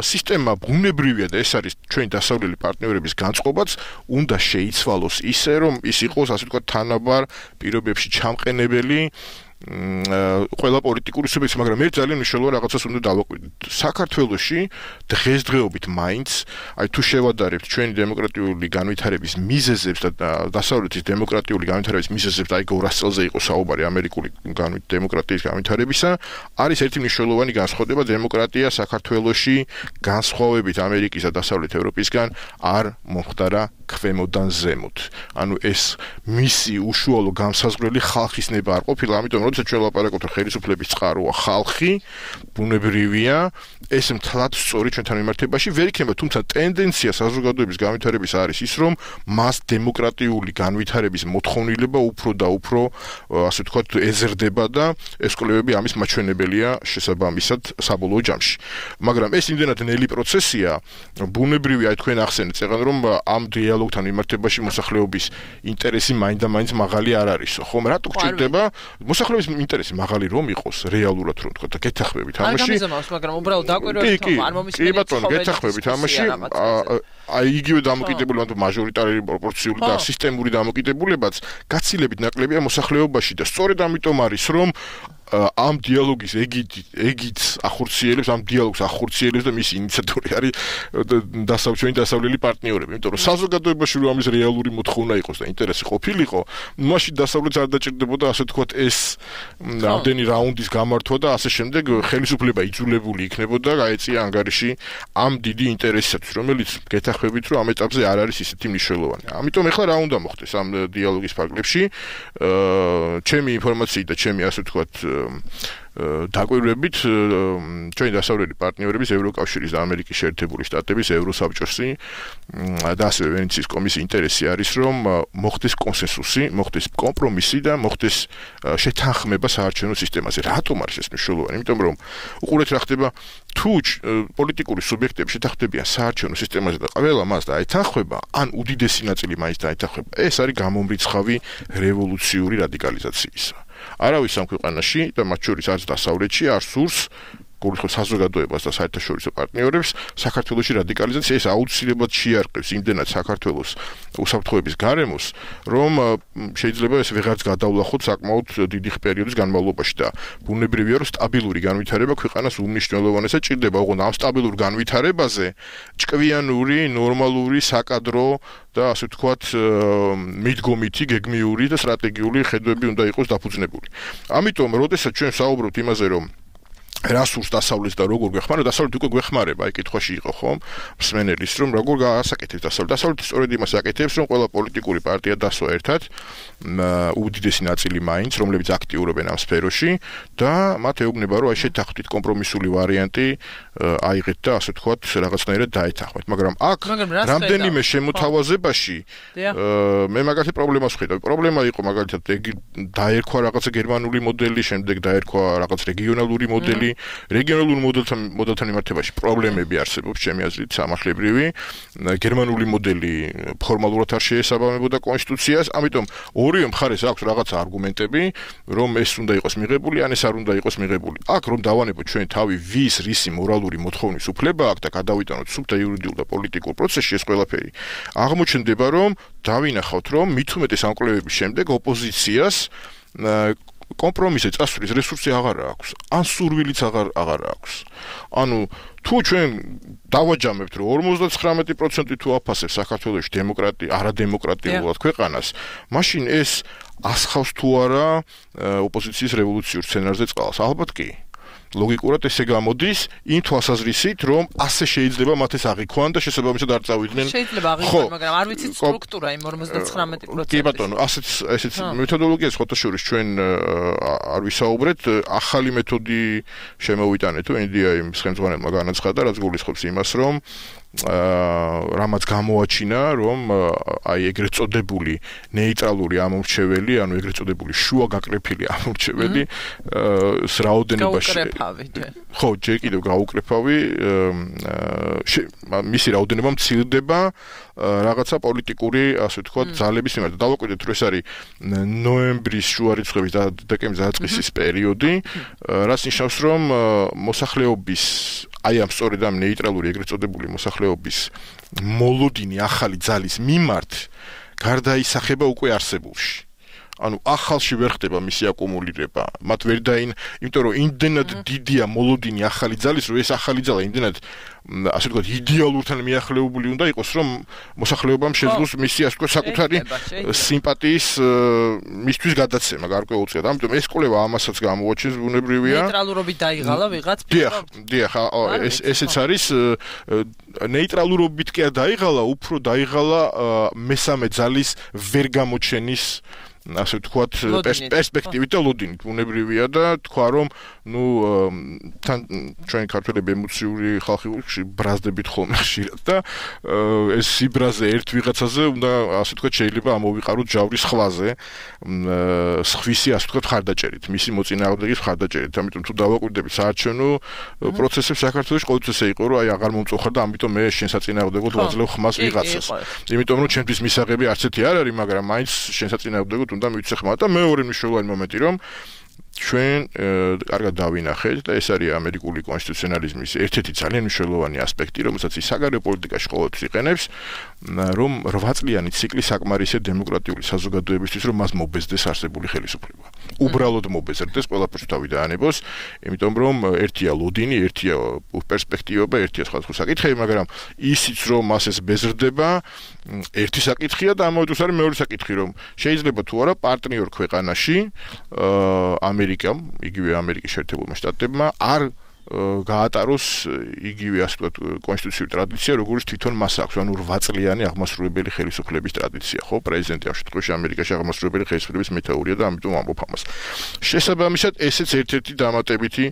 სისტემა ბუნებრივია და ეს არის ჩვენი დასავლელი პარტნიორების განწყობაც, უნდა შეიცვალოს ისე, რომ ის იყოს ასე ვთქვათ თანაბარ პირობებში ჩამყენებელი ყველა პოლიტიკური სუბიექტი, მაგრამ ერთ ძალიან მნიშვნელოვან რაღაცას უნდა დავაკვირდეთ. საქართველოში დღესდღეობით მაინც, აი თუ შევადარებთ ჩვენი დემოკრატიული განვითარების მიზეზებს და დასავლეთის დემოკრატიული განვითარების მიზეზებს, აი გორას წელზე იყო საუბარი ამერიკული დემოკრატიის განვითარებისა, არის ერთი მნიშვნელოვანი განსხვავება დემოკრატია საქართველოში განსხვავებით ამერიკის და დასავლეთ ევროპისგან არ მომხდარა ქვემოდან ზემოთ. ანუ ეს მისი უშუალო განსაზღვრელი ხალხის ნება არ ყოფილა, ამიტომ როდესაც ჩვენ ვლაპარაკობთ რომ ხელისუფლების წყაროა ხალხი, ბუნებრივია, ეს მთლად სწორი ჩვენთან მიმართებაში ვერ იქნება, თუმცა ტენდენცია საზოგადოების განვითარების არის ის, რომ მას დემოკრატიული განვითარების მოთხოვნილება უფრო და უფრო, ასე ვთქვათ, ეზრდება და ეს კვლევები ამის მაჩვენებელია შესაბამისად საბოლოო ჯამში. მაგრამ ეს იმდენად ნელი პროცესია, ბუნებრივია, აი თქვენ ახსენეთ წეგან რომ ამ დიალოგთან მიმართებაში მოსახლეობის ინტერესი მაინდა-მაინც მაღალი არ არისო, ხომ? რატო გჭირდება მოსახლეობის ინტერესი მაღალი რომ იყოს რეალურად რომ თქვა და გეთახმებით ამაში. არ გამიზომავს, მაგრამ უბრალოდ დაკვირვებით რომ არ მომისმენთ. კი ბატონო, გეთახმებით ამაში. აი იგივე დამოკიდებულება თუ მაჟორიტარული პროპორციული და სისტემური დამოკიდებულებაც გაცილებით ნაკლებია მოსახლეობაში და სწორედ ამიტომ არის რომ ამ დიალოგის ეგით ეგით ახორციელებს ამ დიალოგს ახორციელებს და მისი ინიციატორი არის დასავლელი დასავლელი პარტნიორები, იმიტომ რომ საზოგადოებაში რომ ამის რეალური მოთხოვნა იყოს და ინტერესი ყოფილიყო, მაშინ დასავლეთს არ დაჭირდებოდა ასე თქვათ ეს ამდენი რაუნდის გამართვა და ასე შემდეგ ხელისუფლება იძულებული იქნებოდა გაეწია ანგარიში ამ დიდი ინტერესისათვის, რომელიც გეთახმებით რომ ამ ეტაპზე არ არის ისეთი მნიშვნელოვანი. ამიტომ ეხლა რა უნდა მოხდეს ამ დიალოგის ფარგლებში? ჩემი ინფორმაციით და ჩემი ასე ვთქვათ დაკვირვებით ჩვენი დასავლელი პარტნიორების ევროკავშირის და ამერიკის შეერთებული შტატების ევროსაბჭოსი და ასევე ვენეციის კომისიის ინტერესი არის რომ მოხდეს კონსენსუსი, მოხდეს კომპრომისი და მოხდეს შეთანხმება საარჩევნო სისტემაზე. რატომ არის ეს მნიშვნელოვანი? იმიტომ რომ უყურეთ რა ხდება თუ პოლიტიკური სუბიექტები შეთანხმდებიან საარჩევნო სისტემაზე და ყველა მას დაეთანხმება, ან უდიდესი ნაწილი მაინც დაეთანხმება, ეს არის გამომრიცხავი რევოლუციური რადიკალიზაციისა. არავის ამ ქვეყანაში და მათ შორის არც დასავლეთში არ სურს გულისხმობს საზოგადოებას და საერთაშორისო პარტნიორებს საქართველოში რადიკალიზაცია. ეს აუცილებლად შეარყევს იმდენად საქართველოს უსაფრთხოების გარემოს, რომ შეიძლება ეს ვეღარც გადავლახოთ საკმაოდ დიდი პერიოდის განმავლობაში და ბუნებრივია რომ სტაბილური განვითარება ქვეყანას უმნიშვნელოვანესად ჭირდება. ოღონდ ამ სტაბილურ განვითარებაზე ჭკვიანური, ნორმალური, საკადრო და ასე ვთქვათ მიდგომითი, გეგმიური და სტრატეგიული ხედვები უნდა იყოს დაფუძნებული. ამიტომ, როდესაც ჩვენ საუბრობთ იმაზე, რომ რა სურს დასავლეთს და როგორ გვეხმარა, დასავლეთ უკვე გვეხმარება, აი კითხვაში იყო ხომ მსმენელის, რომ როგორ გაასაკეთებს დასავლეთ. დასავლეთი სწორედ იმას აკეთებს, რომ ყველა პოლიტიკური პარტია დასვა ერთად, უდიდესი ნაწილი მაინც, რომლებიც აქტიურობენ ამ სფეროში და მათ ეუბნება, რომ აი შეთანხმდით კომპრომისული ვარიანტი აიღეთ და ასე ვთქვათ, რაღაცნაირად დაეთანხმეთ. მაგრამ აქ რამდენიმე შემოთავაზებაში მე მაგალითად პრობლემას ვხედავ. პრობლემა იყო მაგალითად დაერქვა რაღაცა გერმანული მოდელი, შემდეგ დაერქვა რაღაც რეგიონალური მოდელი. რეგიონალურ მოდელთან მოდელთან მიმართებაში პრობლემები არსებობს ჩემი აზრით სამართლებრივი. გერმანული მოდელი ფორმალურად არ შეესაბამებოდა კონსტიტუციას, ამიტომ ორივე მხარეს აქვს რაღაცა არგუმენტები, რომ ეს უნდა იყოს მიღებული, ან ეს არ უნდა იყოს მიღებული. აქ რომ დავანებოთ ჩვენ თავი ვის რისი მორალური მოთხოვნის უფლება აქვს და გადავიტანოთ სუფთა იურიდიულ და პოლიტიკურ პროცესში ეს ყველაფერი. აღმოჩნდება რომ დავინახავთ რომ მით უმეტეს ამ კვლევების შემდეგ ოპოზიციას კომპრომისზე წასვლის რესურსი აღარ აქვს, ან სურვილიც აღარ აღარ აქვს. ანუ თუ ჩვენ დავაჯამებთ რომ ორმოცდათხრამეტი პროცენტი თუ აფასებს საქართველოში დემოკრატია, არადემოკრატიულად ქვეყანას, მაშინ ეს ასხავს თუ არა ოპოზიციის რევოლუციურ სცენარზე წყალს? ალბათ კი. ლოგიკურად ესე გამოდის იმ თვალსაზრისით, რომ ასე შეიძლება მათ ეს აღიქვან და შესაბამისად არ წავიდნენ. შეიძლება აღიქვან, მაგრამ არ ვიცით სტრუქტურა იმ ორმოცდათხრამეტი პროცენტის. კი ბატონო, ასეც ესეც მეთოდოლოგიას ხოთაშორის ჩვენ არ ვისაუბრეთ, ახალი მეთოდი შემოვიტანეთ, ენ დი აი-ს ხელმძღვანელმა განაცხადა, რაც გულისხმობს იმას, რომ რამაც გამოაჩინა, რომ აი ეგრეთ წოდებული ნეიტრალური ამორჩეველი, ანუ ეგრეთ წოდებული შუა გაკრეფილი ამორჩეველი რაოდენობაში ხო, ჯერ კიდევ გაუკრეფავი მისი რაოდენობა მცირდება რაღაცა პოლიტიკური, ასე ვთქვათ, ძალების მიმართ. დავაკვირდეთ, რომ ეს არის ნოემბრის შუა რიცხვების და დეკემბრის დაწყისის პერიოდი, რაც ნიშნავს, რომ მოსახლეობის აი ამ სწორედ ამ ნეიტრალური ეგრეთ წოდებული მოსახლეობის მოლოდინი ახალი ძალის მიმართ გარდაისახება უკვე არსებულში. ანუ ახალში ვერ ხდება მისი აკუმულირება. მათ ვერ დაინ, იმიტომ რომ იმდენად დიდია მოლოდინი ახალი ძალის, რომ ეს ახალი ძალა იმდენად ასე ვთქვათ, იდეალურთან მიახლოებული უნდა იყოს, რომ მოსახლეობამ შეძლოს მისი ასე ვთქვათ, საკუთარი სიმპათიის მისთვის გადაცემა გარკვეულწილად. ამიტომ ეს კვლევა ამასაც გამოაჩენს, ბუნებრივია. ნეიტრალურობით დაიღალა ვიღაც. დიახ, დიახ, ეს ესეც არის ნეიტრალურობით კი არ დაიღალა, უფრო დაიღალა მესამე ძალის ვერ გამოჩენის ასე ვთქვათ, პერსპექტივით და ლოდინით ბუნებრივია და თქვა რომ ნუ თან ჩვენი ქართველები ემოციური ხალხი ბრაზდებით ხოლმე ხშირად და ეს სიბრაზე ერთ ვიღაცაზე უნდა ასე ვთქვათ შეიძლება ამოვიყაროთ ჯავრის ხვაზე სხვისი ასე ვთქვათ ხარდაჭერით, მისი მოწინააღმდეგის ხარდაჭერით. ამიტომ თუ დავაკვირდებით საარჩევნო პროცესებს საქართველოში ყოველთვის ესე იყო რომ აი აღარ მომწოხარ და ამიტომ მე შენ საწინააღმდეგოდ ვაძლევ ხმას ვიღაცას. იმიტომ რომ ჩემთვის მისაღები არც ერთი არ არის, მაგრამ მაინც შენ საწინააღმდეგოდ უნდა მივცე ხმა და მეორე მნიშვნელოვანი მომენტი რომ ჩვენ კარგად დავინახეთ და ეს არის ამერიკული კონსტიტუციონალიზმის ერთ-ერთი ძალიან მნიშვნელოვანი ასპექტი, რომელსაც ის საგარეო პოლიტიკაში ყოველთვის იყენებს, რომ რვა წლიანი ციკლი საკმარისია დემოკრატიული საზოგადოებისთვის, რომ მას მობეზდეს არსებული ხელისუფლება. უბრალოდ მობეზრდეს, ყველაფერს თავი დაანებოს, იმიტომ რომ ერთია ლოდინი, ერთია პერსპექტივა, ერთია სხვადასხვა საკითხები, მაგრამ ისიც რომ მას ეს ბეზრდება, ერთი საკითხია და ამავე დროს არის მეორე საკითხი, რომ შეიძლება თუ არა პარტნიორ ქვეყანაში ამერიკამ, იგივე ამერიკის შეერთებულმა შტატებმა არ გაატაროს იგივე ასე ვთქვათ კონსტიტუციური ტრადიცია, როგორც თვითონ მას აქვს, ანუ რვა წლიანი აღმასრულებელი ხელისუფლების ტრადიცია, ხო, პრეზიდენტი ამ შემთხვევაში ამერიკაში აღმასრულებელი ხელისუფლების მეთაურია და ამიტომ ამბობ ამას. შესაბამისად, ესეც ერთ-ერთი დამატებითი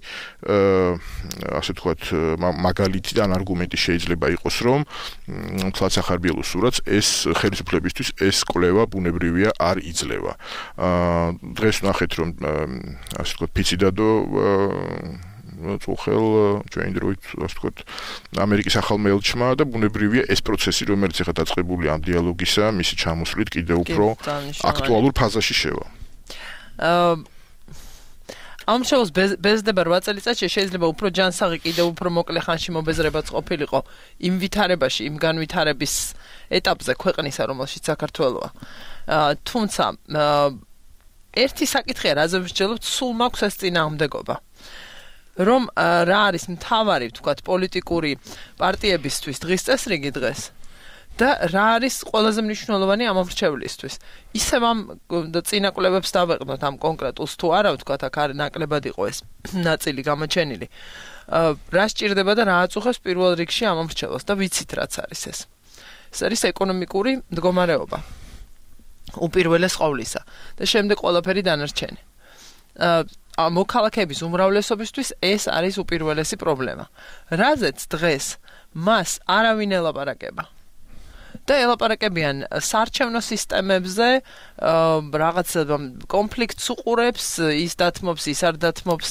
ასე ვთქვათ მაგალითი და არგუმენტი შეიძლება იყოს, რომ თლაც ახარბიელოს სურათს ეს ხელისუფლებისთვის ეს კვლევა ბუნებრივია არ იძლევა. დღეს ვნახეთ, რომ ასე ვთქვათ ფიციდადო წუხელ ჩვენ დროით ასე ვთქვათ ამერიკის ახალმა ელჩმა და ბუნებრივია ეს პროცესი რომელიც ახლა დაწყებული ამ დიალოგისა მისი ჩამოსვლით კიდევ უფრო აქტუალურ ფაზაში შევა. ამ შოუს ბეზდება რვა წელიწადში შეიძლება უფრო ჯანსაღი კიდევ უფრო მოკლე ხანში მობეზრებაც ყოფილიყო იმ ვითარებაში, იმ განვითარების ეტაპზე ქვეყნისა, რომელშიც საქართველოა. თუმცა ერთი საკითხია, რაზე ვსჯელობთ, სულ მაქვს ეს წინააღმდეგობა. რომ რა არის მთავარი, ვთქვათ, პოლიტიკური პარტიებისთვის დღის წესრიგი დღეს და რა არის ყველაზე მნიშვნელოვანი ამომრჩევლისთვის. ისევ ამ წინაკლებებს დავეყნოთ ამ კონკრეტულს თუ არა, ვთქვათ, აქ არის ნაკლებად იყო ეს ნაწილი გამოჩენილი. რა სჭირდება და რა აწუხებს პირველ რიგში ამომრჩევლს და ვიცით რაც არის ეს. ეს არის ეკონომიკური მდგომარეობა. უპირველეს ყოვლისა და შემდეგ ყველაფერი დანარჩენი. მოქალაქეების უმრავლესობისთვის ეს არის უპირველესი პრობლემა. რაზეც დღეს მას არავინ ელაპარაკება. და ელაპარაკებიან საარჩევნო სისტემებზე, რაღაც კონფლიქტს უყურებს, ის დათმობს, ის არ დათმობს,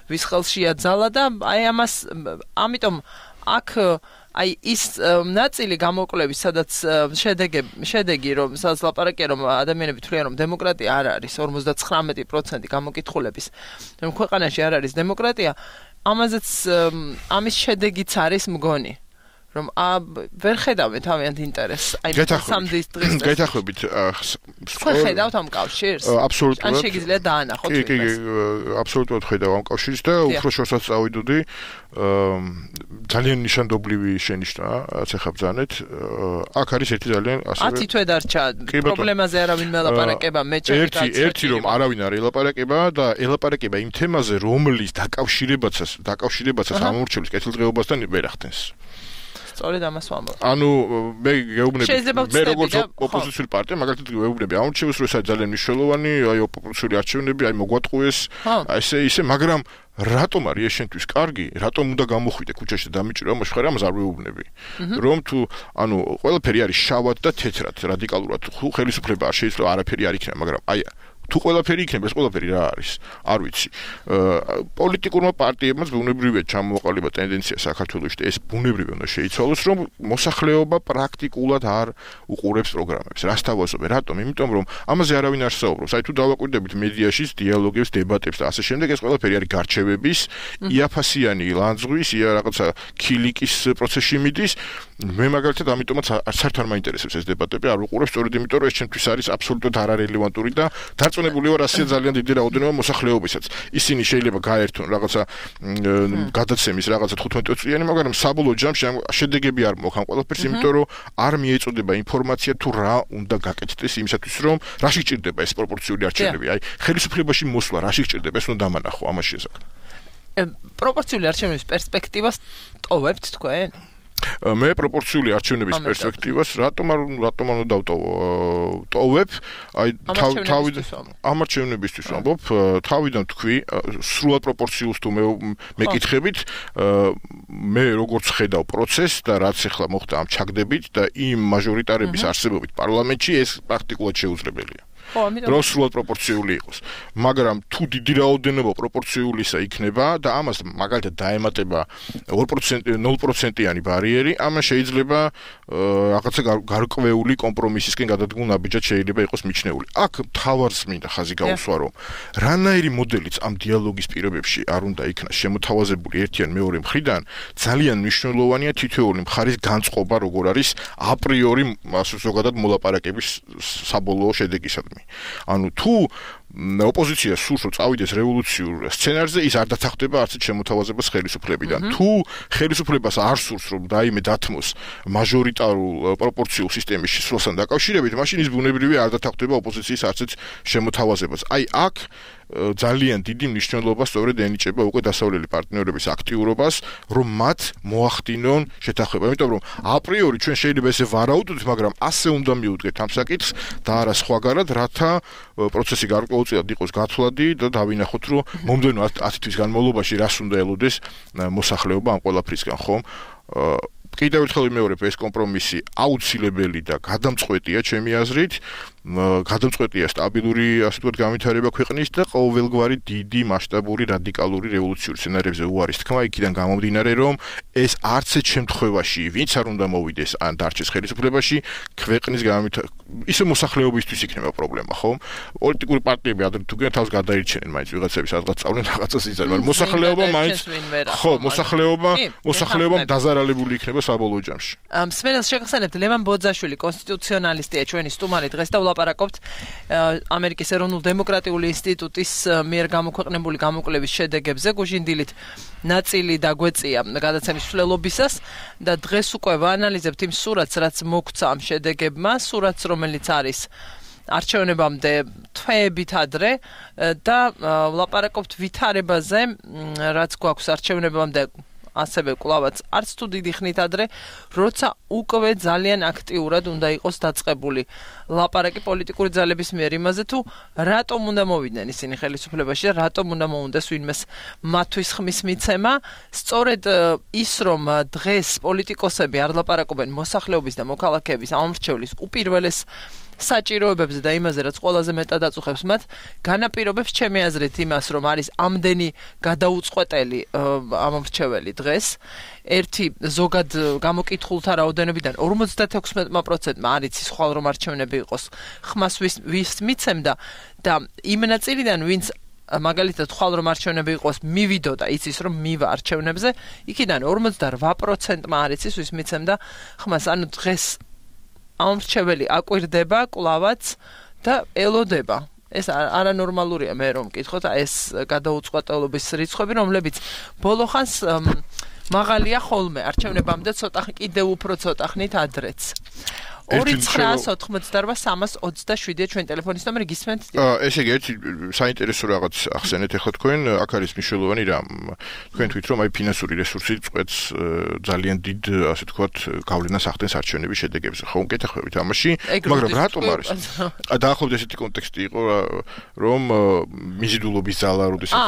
ვის ხელშია ძალა და აი ამას ამიტომ აქ აი ის ნაწილი გამოკვლევის, სადაც შედეგი, შედეგი რომ სადაც ლაპარაკია, რომ ადამიანები თვლიან, რომ დემოკრატია არ არის, ორმოცდათხრამეტი პროცენტი გამოკითხულების, რომ ქვეყანაში არ არის დემოკრატია, ამაზეც ამის შედეგიც არის მგონი. რომ ვერ ხედავენ თავიანთ ინტერესს. აი სამდის დღეს. გეთახმებით თქვენ ხედავთ ამ კავშირს? აბსოლუტურად. ან შეგიძლიათ დაანახოთ ეს. კი, კი, აბსოლუტურად ხედავ ამ კავშირს და უფრო შორსაც წავიდოდი. ძალიან ნიშანდობლივი შენიშვნა, რაც ახლა ბრძანეთ. აქ არის ერთი ძალიან ასევე ათი თვე დარჩა პრობლემაზე არავინ მელაპარაკება, მე ჩემი ერთი ერთი რომ არავინ არ ელაპარაკება და ელაპარაკება იმ თემაზე, რომლის დაკავშირებაცას, დაკავშირებაცას ამორჩევლის კეთილდღეობასთან ვერ ახდენს. სწორედ ამას ვამბობ. ანუ მე გეუბნები მე როგორც ოპოზიციური პარტია მაგალითად გეუბნები ამორჩევს რომ ეს არის ძალიან მნიშვნელოვანი, აი ოპოზიციური არჩევნები, აი მოგვატყუეს, აი ესე ისე, მაგრამ რატომ არის ეს შენთვის კარგი? რატომ უნდა გამოხვიდე ქუჩაში და დამიჭირო ამას ხარ ამას არ ვეუბნები. რომ თუ ანუ ყველაფერი არის შავად და თეთრად, რადიკალურად, თუ ხელისუფლება არ შეიძლება არაფერი არ იქნება, მაგრამ აი თუ ყველაფერი იქნება, ეს ყველაფერი რა არის? არ ვიცი. პოლიტიკურმა პარტიებმაც ბუნებრივია ჩამოყალიბა ტენდენცია საქართველოში და ეს ბუნებრივია უნდა შეიცვალოს, რომ მოსახლეობა პრაქტიკულად არ უყურებს პროგრამებს. რას თავაზობენ? რატომ? იმიტომ რომ ამაზე არავინ არ საუბრობს. აი თუ დავაკვირდებით მედიაში, დიალოგებს, დებატებს და ასე შემდეგ, ეს ყველაფერი არის გარჩევების, იაფასიანი ლანძღვის, ია რაღაცა ქილიკის პროცესში მიდის. მე მაგალითად ამიტომაც არც არ მაინტერესებს ეს დებატები, არ ვუყურებ, სწორედ იმიტომ რომ ეს ჩემთვის არის აბსოლუტურად არარელევანტური და დარწმუნებული ვარ, ასეა ძალიან დიდი რაოდენობა მოსახლეობისაც. ისინი შეიძლება გაერთონ რაღაცა გადაცემის რაღაცა თხუთმეტ წლიანი, მაგრამ საბოლოო ჯამში შედეგები არ მოხან ყველაფერს, იმიტომ რომ არ მიეწოდება ინფორმაცია თუ რა უნდა გაკეთდეს იმისათვის, რომ რა შეჭირდება ეს პროპორციული არჩევნები. აი, ხელისუფლებაში მოსვლა რა შეჭირდება, ეს უნდა დამანახო ამას შესახებ. პროპორციული არჩევნების პერსპექტივას ტოვებთ თქვენ? მე პროპორციული არჩევნების პერსპექტივას რატომ არ რატომ არ დავტოვო? ტოვებ, აი თავი ამ არჩევნებისთვის ვამბობ, თავიდან თქვი, სრულად პროპორციულს თუ მე მეკითხებით, მე როგორც ხედავ პროცესს და რაც ახლა მოხდა ამ ჩაგდებით და იმ მაჟორიტარების არსებობით პარლამენტში ეს პრაქტიკულად შეუძლებელია. რომ სრულად პროპორციული იყოს. მაგრამ თუ დიდი რაოდენობა პროპორციულისა იქნება და ამას მაგალითად დაემატება ორ პროცენტი ნულ პროცენტიანი ბარიერი, ამან შეიძლება რაღაცა გარკვეული კომპრომისისკენ გადადგმულ ნაბიჯად შეიძლება იყოს მიჩნეული. აქ თავარს მინდა ხაზი გაუსვა, რომ რანაირი მოდელიც ამ დიალოგის პირობებში არ უნდა იქნას შემოთავაზებული ერთი ან მეორე მხრიდან, ძალიან მნიშვნელოვანია თითოეული მხარის განწყობა, როგორ არის აპრიორი ზოგადად მოლაპარაკების საბოლოო შედეგისადმი. ანუ თუ ოპოზიცია სურს რომ წავიდეს რევოლუციურ სცენარზე, ის არ დათანხმდება არც შემოთავაზებას ხელისუფლებიდან. თუ ხელისუფლებას არ სურს რომ რაიმე დათმოს მაჟორიტარულ პროპორციულ სისტემის შესვლასთან დაკავშირებით, მაშინ ის ბუნებრივია არ დათანხმდება ოპოზიციის არც შემოთავაზებას. აი აქ ძალიან დიდი მნიშვნელობა სწორედ ენიჭება უკვე დასავლელი პარტნიორების აქტიურობას, რომ მათ მოახდინონ შეთანხმება. იმიტომ რომ აპრიორი ჩვენ შეიძლება ესე ვარაუდოთ, მაგრამ ასე უნდა მიუდგეთ ამ საკითხს და არა სხვაგანად, რათა პროცესი გარკვეულწილად იყოს გათვლადი და დავინახოთ, რომ მომდევნო ათი თვის განმავლობაში რას უნდა ელოდეს მოსახლეობა ამ ყველაფრისგან, ხომ? კიდევ ერთხელ ვიმეორებ, ეს კომპრომისი აუცილებელი და გადამწყვეტია ჩემი აზრით. გადამწყვეტია სტაბილური, ასე ვთქვათ, განვითარება ქვეყნის და ყოველგვარი დიდი მასშტაბური რადიკალური რევოლუციური სცენარებზე უარის თქმა, იქიდან გამომდინარე, რომ ეს არც ერთ შემთხვევაში ვინც არ უნდა მოვიდეს ან დარჩეს ხელისუფლებაში, ქვეყნის განვითარება ისე მოსახლეობისთვის იქნება პრობლემა, ხომ? პოლიტიკური პარტიები ადრე თუ გინდა თავს გადაირჩენენ, მაინც ვიღაცები სადღაც წავდნენ რაღაცას იზარდნენ, მაგრამ მოსახლეობა მაინც ხო, მოსახლეობა, მოსახლეობამ დაზარალებული იქნება საბოლოო ჯამში. მსმენელს შეგახსენებთ, ლევან ბოძაშვილი, კონსტიტუციონალისტია, ჩვენი სტუმარი დღეს და ვლაპარაკობთ ამერიკის ეროვნულ დემოკრატიული ინსტიტუტის მიერ გამოქვეყნებული გამოკვლევის შედეგებზე. გუჟინდილით ნაწილი დაგვეწია გადაცემის მსვლელობისას და დღეს უკვე ვაანალიზებთ იმ სურათს, რაც მოგვცა ამ შედეგებმა, სურათს, რომელიც არის არჩევნებამდე თვეებით ადრე და ვლაპარაკობთ ვითარებაზე, რაც გვაქვს არჩევნებამდე ასევე კლავაც არც თუ დიდი ხნით ადრე, როცა უკვე ძალიან აქტიურად უნდა იყოს დაწყებული ლაპარაკი პოლიტიკური ძალების მიერ იმაზე, თუ რატომ უნდა მოვიდნენ ისინი ხელისუფლებაში და რატომ უნდა მოუნდეს ვინმეს მათთვის ხმის მიცემა. სწორედ ის, რომ დღეს პოლიტიკოსები არ ლაპარაკობენ მოსახლეობის და მოქალაქეების ამორჩევლის უპირველეს საჭიროებებზე და იმაზე, რაც ყველაზე მეტად აწუხებს მათ, განაპირობებს ჩემი აზრით იმას, რომ არის ამდენი გადაუწყვეტელი ამორჩეველი დღეს. ერთი ზოგად გამოკითხულთა რაოდენობიდან ორმოცდათექვსმეტ პროცენტმა არ იცის ხვალ რომ არჩევნები იყოს ხმას ვის მიცემდა და იმ ნაწილიდან ვინც მაგალითად ხვალ რომ არჩევნები იყოს მივიდოდა იცის რომ მივა არჩევნებზე, იქიდან ორმოცდარვა პროცენტმა არ იცის ვის მიცემდა ხმას. ანუ დღეს ამორჩეველი აკვირდება კლავაც და ელოდება. ეს არანორმალურია მე რომ მკითხოთ, ეს გადაუწყვეტელობის რიცხვები, რომლებიც ბოლო ხანს მაღალია ხოლმე, არჩევნებამდე ცოტა კიდევ უფრო ცოტა ხნით ადრეც. ორი ცხრა ოთხმოცდარვა სამას ოცდაშვიდია ჩვენ ტელეფონის ნომერი, გისმენთ? ესე იგი, ერთი საინტერესო რაღაც ახსენეთ ახლა თქვენ, აქ არის მნიშვნელოვანი რამ. თქვენ თქვით, რომ აი ფინანსური რესურსი წყვეტს ძალიან დიდ, ასე ვთქვათ, გავლენას ახდენს არჩევნების შედეგებზე. ხო, მკითხებით ამაში, მაგრამ რატომ არის? დაახლოებით ესეთი კონტექსტი იყო, რომ მიზიდულობის ზალა, როდესაც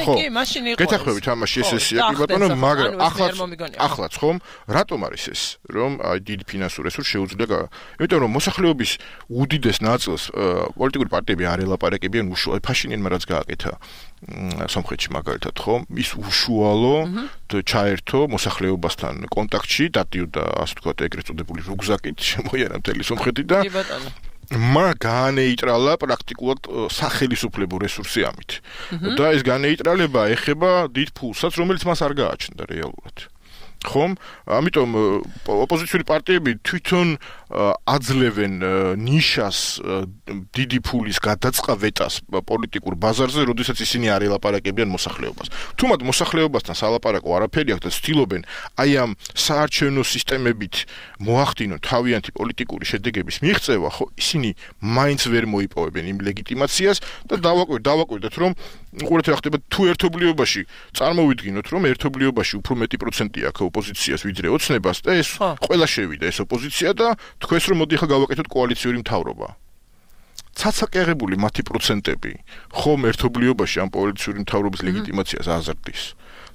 ხო, მაშინ იყო. გეთახმებით ამაში ეს ესია, კი ბატონო, მაგრამ ახლა ახლაც ხომ, რატომ არის ეს, რომ აი დიდი ფინანსური რესურსი იმიტომ რომ მოსახლეობის უდიდეს ნაწილს პოლიტიკური პარტიები არ ელაპარაკებიან უშუალოდ ფაშინიანმა რაც გააკეთა სომხეთში მაგალითად ხო ის უშუალო ჩაერთო მოსახლეობასთან კონტაქტში დადიოდა ასე ვთქვათ ეგრეთ წოდებული რუგზაკით შემოიარა მთელი სომხეთი და მა განეიტრალა პრაქტიკულად სახელისუფლებო რესურსი ამით და ეს განეიტრალება ეხება დიდ ფულსაც რომელიც მას არ გააჩნდა რეალურად ხომ ამიტომ ოპოზიციური პარტიები თვითონ აძლევენ ნიშას დიდი ფულის გადაწყავეტას პოლიტიკურ ბაზარზე, როდესაც ისინი არ ელაპარაკებიან მოსახლეობას. თუ მათ მოსახლეობასთან სალაპარაკო არაფერი აქვს და ცდილობენ აი ამ საარჩევნო სისტემებით მოახდინონ თავიანთი პოლიტიკური შედეგების მიღწევა, ხო ისინი მაინც ვერ მოიპოვებენ იმ ლეგიტიმაციას და დავაკვირდეთ, დავაკვირდეთ რომ უყურეთ რა ხდება თუ ერთობლიობაში წარმოვიდგინოთ რომ ერთობლიობაში უფრო მეტი პროცენტი აქვს ოპოზიციას ვიდრე ოცნებას და ეს ყველა შევიდა ეს ოპოზიცია და თქვენს რომ მოდი ახლა გავაკეთოთ კოალიციური მთავრობა. ცაცაკერებული მათი პროცენტები ხომ ერთობლიობაში ამ კოალიციური მთავრობის ლეგიტიმაციას აზრდის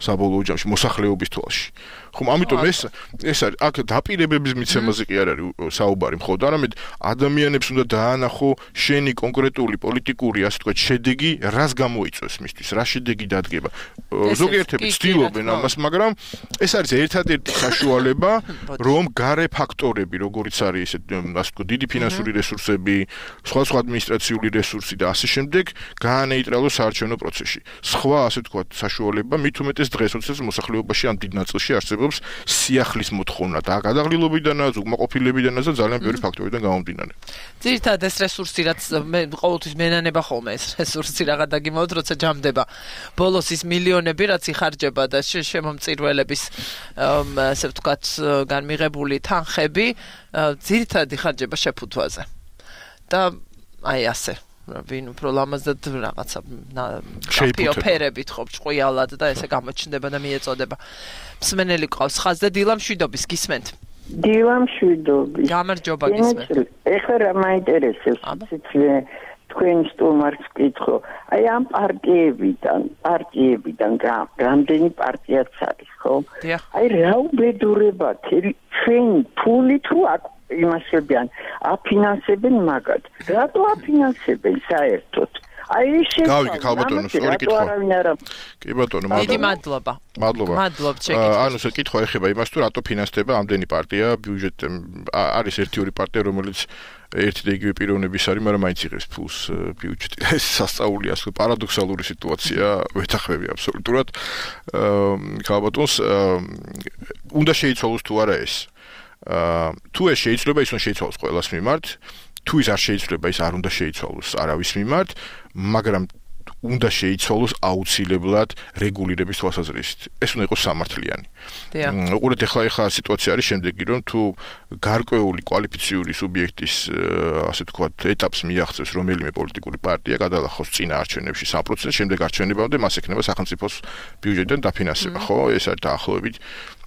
საბოლოო ჯამში მოსახლეობის თვალში. ხომ ამიტომ ეს ეს არის აქ დაპირებების მიცემაზე კი არ არის საუბარი მხოლოდ, არამედ ადამიანებს უნდა დაანახო შენი კონკრეტული პოლიტიკური, ასე ვთქვათ, შედეგი, რას გამოიწვევს მისთვის, რა შედეგი დადგება. ზოგიერთები ცდილობენ ამას, მაგრამ ეს არის ერთადერთი საშუალება, რომ გარე ფაქტორები, როგორიც არის ესე, ასე ვთქვათ, დიდი ფინანსური რესურსები, სხვა სხვა ადმინისტრაციული რესურსი და ასე შემდეგ, გაანეიტრალოს საარჩევნო პროცესში. სხვა, ასე ვთქვათ, საშუალება მით უმეტეს დღეს, როდესაც მოსახლეობაში ამ დიდ ნაწილში არსებობს სიახლის მოთხოვნა და გადაღლილობიდანაც, უკმაყოფილებიდანაც და ძალიან ბევრი ფაქტორიდან გამომდინარე. ძირითადად ეს რესურსი, რაც მე ყოველთვის მენანება ხოლმე ეს რესურსი რაღაც დაგიმოვოთ, როცა ჯამდება. ბოლოს ის მილიონები, რაც იხარჯება და შემომწირველების, ასე ვთქვათ, განმიღებული თანხები, ძირითადად იხარჯება შეფუთვაზე. და აი ასე ვინ უფრო ლამაზად რაღაცა ფიოფერებით ხო ჭყიალად და ესე გამოჩნდება და მიეწოდება. მსმენელი ყავს ხაზზე დილა მშვიდობის გისმენთ. დილა მშვიდობის. გამარჯობა გისმენთ. ეხლა რა მაინტერესებს ციცლე თქვენ სტუმარს ვკითხო. აი ამ პარტიებიდან, პარტიებიდან რამდენი პარტიაც არის, ხო? აი რა უბედურება ჩვენ ფულით რო იმასებიან აფინანსებენ მაგათ. რატო აფინანსებენ საერთოდ? აი შე გავიგე ხალბატონო, სწორი კითხვა. კი ბატონო, დიდი მადლობა. მადლობა. მადლობთ შეკითხვა. ანუ ეს კითხვა ეხება იმას, თუ რატო ფინანსდება ამდენი პარტია, ბიუჯეტ არის ერთი-ორი პარტია, რომელიც ერთი და იგივე პიროვნების არის, მაგრამ მაინც იღებს ფულს ბიუჯეტი. ეს სასწაულია, ასე პარადოქსალური სიტუაცია, ვეთახმები აბსოლუტურად. ხალბატონს უნდა შეიცვალოს თუ არა ეს. თუ ეს შეიძლება, ის უნდა შეიცვალოს ყველას მიმართ. თუ ის არ შეიძლება, ის არ უნდა შეიცვალოს არავის მიმართ, მაგრამ უნდა შეიცვალოს აუცილებლად რეგულირების თვალსაზრისით. ეს უნდა იყოს სამართლიანი. უყურეთ, ახლა ახლა სიტუაცია არის შემდეგი, რომ თუ გარკვეული კვალიფიციური სუბიექტის, ასე ვთქვათ, ეტაპს მიაღწევს რომელიმე პოლიტიკური პარტია, გადალახოს წინა არჩევნებში სამ პროცენტს, შემდეგ არჩევნებამდე მას ექნება სახელმწიფოს ბიუჯეტიდან დაფინანსება, ხო? ეს არის დაახლოებით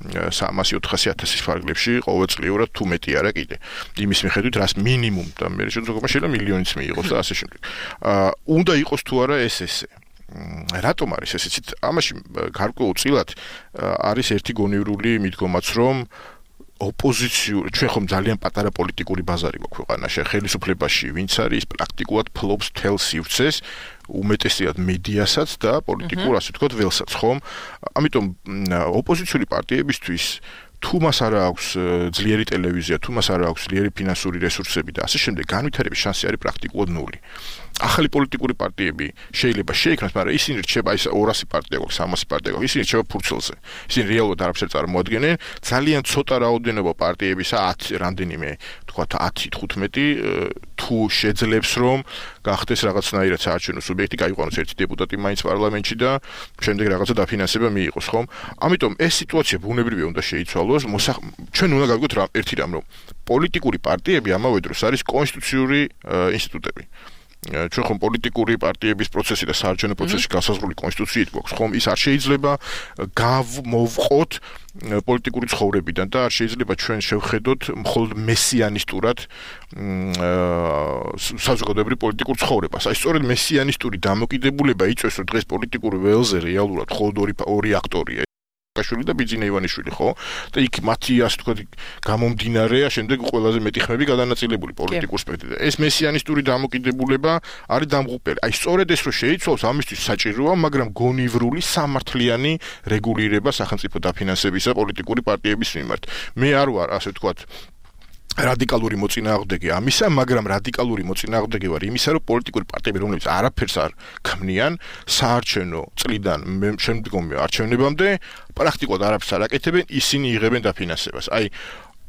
სამასი ოთხასი ათასის ფარგლებში ყოველწლიურად თუ მეტი არა კიდე. იმის მიხედვით, რას მინიმუმ და მე შეიძლება შეიძლება მილიონიც მიიღოს და ასე შემდეგ. უნდა იყოს თუ არა ეს ესე. რატომ არის ესეც? ამაში გარკვეულწილად არის ერთი გონივრული მიდგომაც, რომ ოპოზიციური, ჩვენ ხომ ძალიან პატარა პოლიტიკური ბაზარი გვაქვს ქვეყანაში, ხელისუფლებაში, ვინც არის პრაქტიკულად ფლობს მთელ სივრცეს, უმეტესად მედიასაც და პოლიტიკურ, ასე ვთქვათ, ველსაც, ხომ? ამიტომ ოპოზიციური პარტიებისთვის თუ მას არ აქვს ძლიერი ტელევიზია, თუ მას არ აქვს ძლიერი ფინანსური რესურსები და ასე შემდეგ, განვითარების შანსი არის პრაქტიკულად ნული. ახალი პოლიტიკური პარტიები შეიძლება შეიქმნას, მაგრამ ისინი რჩება ის ორასი პარტია გვაქვს, სამასი პარტია გვაქვს, ისინი რჩება ფურცელზე. ისინი რეალურად არაფერს არ წარმოადგენენ, ძალიან ცოტა რაოდენობა პარტიებისა, ათი რამდენიმე, თქვათ ათი თხუთმეტი თუ შეძლებს რომ გახდეს რაღაცნაირად საარჩევნო სუბიექტი, გაიყვანოს ერთი დეპუტატი მაინც პარლამენტში და შემდეგ რაღაცა დაფინანსება მიიღოს, ხომ? ამიტომ ეს სიტუაცია ბუნებრივია უნდა შეიცვალოს. ჩვენ უნდა გავიგოთ რა ერთი რამ, რომ პოლიტიკური პარტიები ამავე დროს არის კონსტიტუციური ინსტიტუტები. ჩვენ ხომ პოლიტიკური პარტიების პროცესი და საარჩევნო პროცესი გასაზღვრული კონსტიტუციით გვაქვს, ხომ? ის არ შეიძლება გავმოვყოთ პოლიტიკური ცხოვრებიდან და არ შეიძლება ჩვენ შევხედოთ მხოლოდ მესიანისტურად საზოგადოებრივ პოლიტიკურ ცხოვრებას. აი სწორედ მესიანისტური დამოკიდებულება იწვევს, რომ დღეს პოლიტიკური ველზე რეალურად მხოლოდ ორი ორი აქტორია. კაშვილი და ბიძინა ივანიშვილი, ხო? და იქ მათი, ასე ვთქვათ, გამომდინარეა შემდეგ ყველაზე მეტი ხმები გადანაწილებული პოლიტიკურ სპექტრში. ეს მესიანისტური დამოკიდებულება არის დამღუპელი. აი სწორედ ეს რო შეიცვალოს, ამისთვის საჭიროა, მაგრამ გონივრული სამართლიანი რეგულირება სახელმწიფო დაფინანსებისა პოლიტიკური პარტიების მიმართ. მე არ ვარ, ასე ვთქვათ, რადიკალური მოწინააღმდეგე ამისა, მაგრამ რადიკალური მოწინააღმდეგე ვარ იმისა, რომ პოლიტიკური პარტიები, რომლებიც არაფერს არ ქმნიან, საარჩევნო წლიდან შემდგომი არჩევნებამდე პრაქტიკულად არაფერს არ აკეთებენ, ისინი იღებენ დაფინანსებას. აი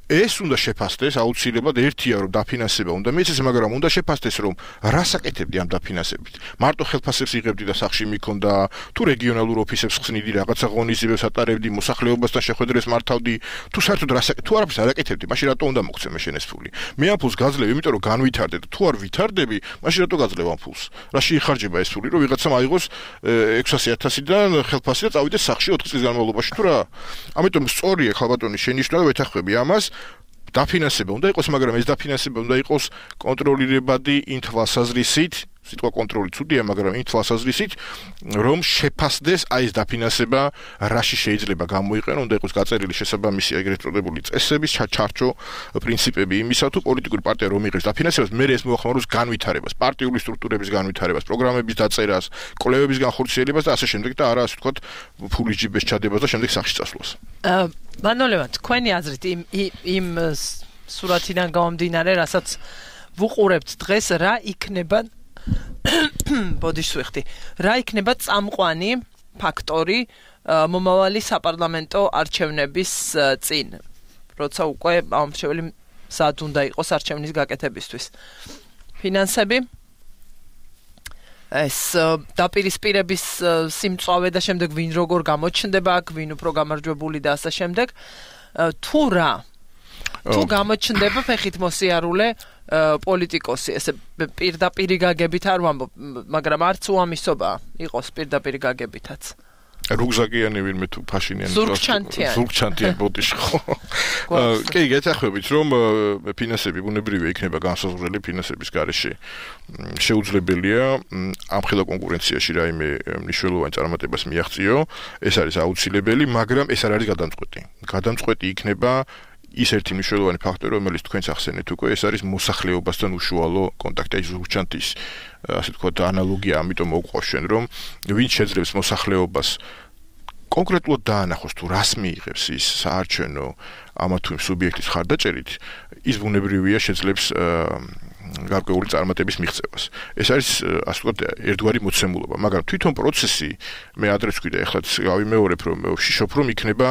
ეს უნდა შეფასდეს აუცილებლად ერთია რომ დაფინანსება უნდა მიეცეს, მაგრამ უნდა შეფასდეს რომ რას აკეთებდი ამ დაფინანსებით. მარტო ხელფასებს იღებდი და სახში მიქონდა, თუ რეგიონალურ ოფისებს ხსნიდი, რაღაცა ღონისძიებებს ატარებდი, მოსახლეობასთან შეხვედრებს მართავდი, თუ საერთოდ რას აკეთებდი, თუ არაფერს არ აკეთებდი, მაშინ რატო უნდა მოგცემ შენ ეს ფული? მე ამ ფულს გაძლევ, იმიტომ რომ განვითარდე და თუ არ ვითარდები, მაშინ რატო გაძლევ ამ ფულს? რაში იხარჯება ეს ფული, რომ ვიღაცამ აიღოს ექვსასი ათასიდან ხელფასი და წავიდეს სახში ოთხი წლის განმავლობაში, თუ რა? ამიტომ სწორია ხალბატონის შენიშვნა და ვეთანხმები ამას. დაფინანსება უნდა იყოს, მაგრამ ეს დაფინანსება უნდა იყოს კონტროლირებადი იმ თვალსაზრისით, სიტყვა კონტროლი ცუდია, მაგრამ იმ თვალსაზრისით, რომ შეფასდეს აი ეს დაფინანსება რაში შეიძლება გამოიყენო, უნდა იყოს გაწერილი შესაბამისი ეგრეთ წოდებული წესების, ჩარჩო პრინციპები იმისა, თუ პოლიტიკური პარტია რომ იღებს დაფინანსებას, მე ეს მოახმაროს განვითარებას, პარტიული სტრუქტურების განვითარებას, პროგრამების დაწერას, კვლევების განხორციელებას და ასე შემდეგ და არა ასე ვთქვათ, ფულის ჯიბეს ჩადებას და შემდეგ სახში წასვლას. აა, მანოლევა, თქვენი აზრით იმ იმ სურათიდან გამომდინარე, რასაც ვუყურებთ დღეს, რა იქნება ბოდიშს ვიხდი. რა იქნება წამყვანი ფაქტორი მომავალი საპარლამენტო არჩევნების წინ, როცა უკვე ამრჩეველი მზად უნდა იყოს არჩევნის გაკეთებისთვის. ფინანსები, ეს დაპირისპირების სიმწვავე და შემდეგ ვინ როგორ გამოჩნდება აქ, ვინ უფრო გამარჯვებული და ასე შემდეგ. თუ რა თუ გამოჩნდება ფეხით მოსიარულე პოლიტიკოსი, ესე პირდაპირი გაგებით არ ვამბობ, მაგრამ არც უამისობა იყოს პირდაპირი გაგებითაც. რუგზაკიანი ვინმე თუ ფაშინიანი ზურგჩანთიანი ზურგჩანთიანი ბოდიში ხო. კი, გეთახმებით, რომ ფინანსები ბუნებრივია იქნება განსაზღვრელი ფინანსების გარეშე. შეუძლებელია ამ ხელა კონკურენციაში რაიმე მნიშვნელოვანი წარმატებას მიაღწიო, ეს არის აუცილებელი, მაგრამ ეს არ არის გადამწყვეტი. გადამწყვეტი იქნება ის ერთი მნიშვნელოვანი ფაქტორი, რომელიც თქვენს ახსენეთ უკვე, ეს არის მოსახლეობასთან უშუალო კონტაქტი, აი ზურგჩანთის ასე ვთქვათ ანალოგია, ამიტომ მოვყვა შენ, რომ ვინ შეძლებს მოსახლეობას კონკრეტულად დაანახოს თუ რას მიიღებს ის საარჩევნო ამა თუ იმ სუბიექტის ხარდაჭერით, ის ბუნებრივია შეძლებს გარკვეული წარმატების მიღწევას. ეს არის ასე ვთქვათ ერთგვარი მოცემულობა, მაგრამ თვითონ პროცესი მე ადრეს ვქვიდა, ეხლაც გავიმეორებ, რომ ვშიშობ, რომ იქნება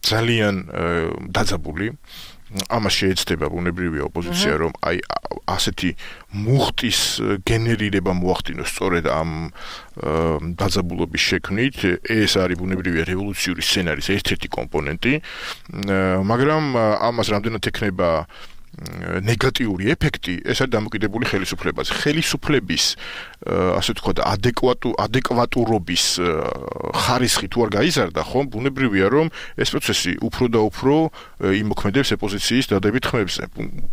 ძალიან დაძაბული. ამას შეეცდება ბუნებრივია ოპოზიცია, რომ აი ასეთი მუხტის გენერირება მოახდინოს სწორედ ამ დაძაბულობის შექმნით. ეს არის ბუნებრივია რევოლუციური სცენარის ერთ-ერთი კომპონენტი, მაგრამ ამას რამდენად ექნება ნეგატიური ეფექტი, ეს არის დამოკიდებული ხელისუფლებაზე. ხელისუფლების ასე ვთქვათ ადეკვატუ ადეკვატურობის ხარისხი თუ არ გაიზარდა, ხომ, ბუნებრივია, რომ ეს პროცესი უფრო და უფრო იმოქმედებს ოპოზიციის დადებით ხმებზე.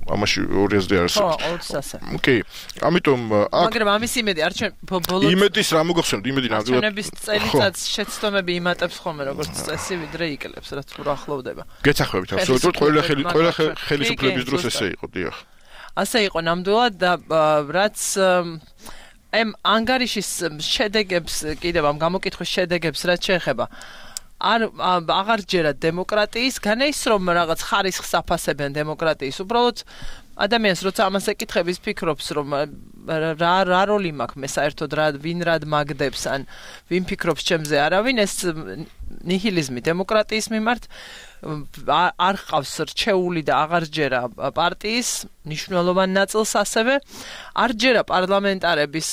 ამაში ორი აზრი არსებობს. ხო, ოც ასე. კი, ამიტომ აქ მაგრამ ამის იმედი არჩენ ბოლოს იმედის რა მოგახსენებთ, იმედი ნამდვილად არჩევნების წელიწადს შეცდომები იმატებს ხოლმე როგორც წესი, ვიდრე იკლებს, რაც უფრო ახლოვდება. გეცახმებით, აბსოლუტურად ყველა ყველა ხელისუფლების დროს ესე იყო, დიახ. ასე იყო ნამდვილად და რაც ამ ანგარიშის შედეგებს კიდევ ამ გამოკითხვის შედეგებს რაც შეეხება არ აღარ ჯერა დემოკრატიის განაის რომ რაღაც ხარისხს აფასებენ დემოკრატიის უბრალოდ ადამიანს როცა ამას ეკითხების ფიქრობს რომ რა რა როლი მაქვს მე საერთოდ რა ვინ რად მაგდებს ან ვინ ფიქრობს ჩემზე არავინ ეს ნიჰილიზმი დემოკრატიის მიმართ არ ყავს რჩეული და აღარ ჯერა პარტიის მნიშვნელოვან ნაწილს ასევე არ ჯერა პარლამენტარების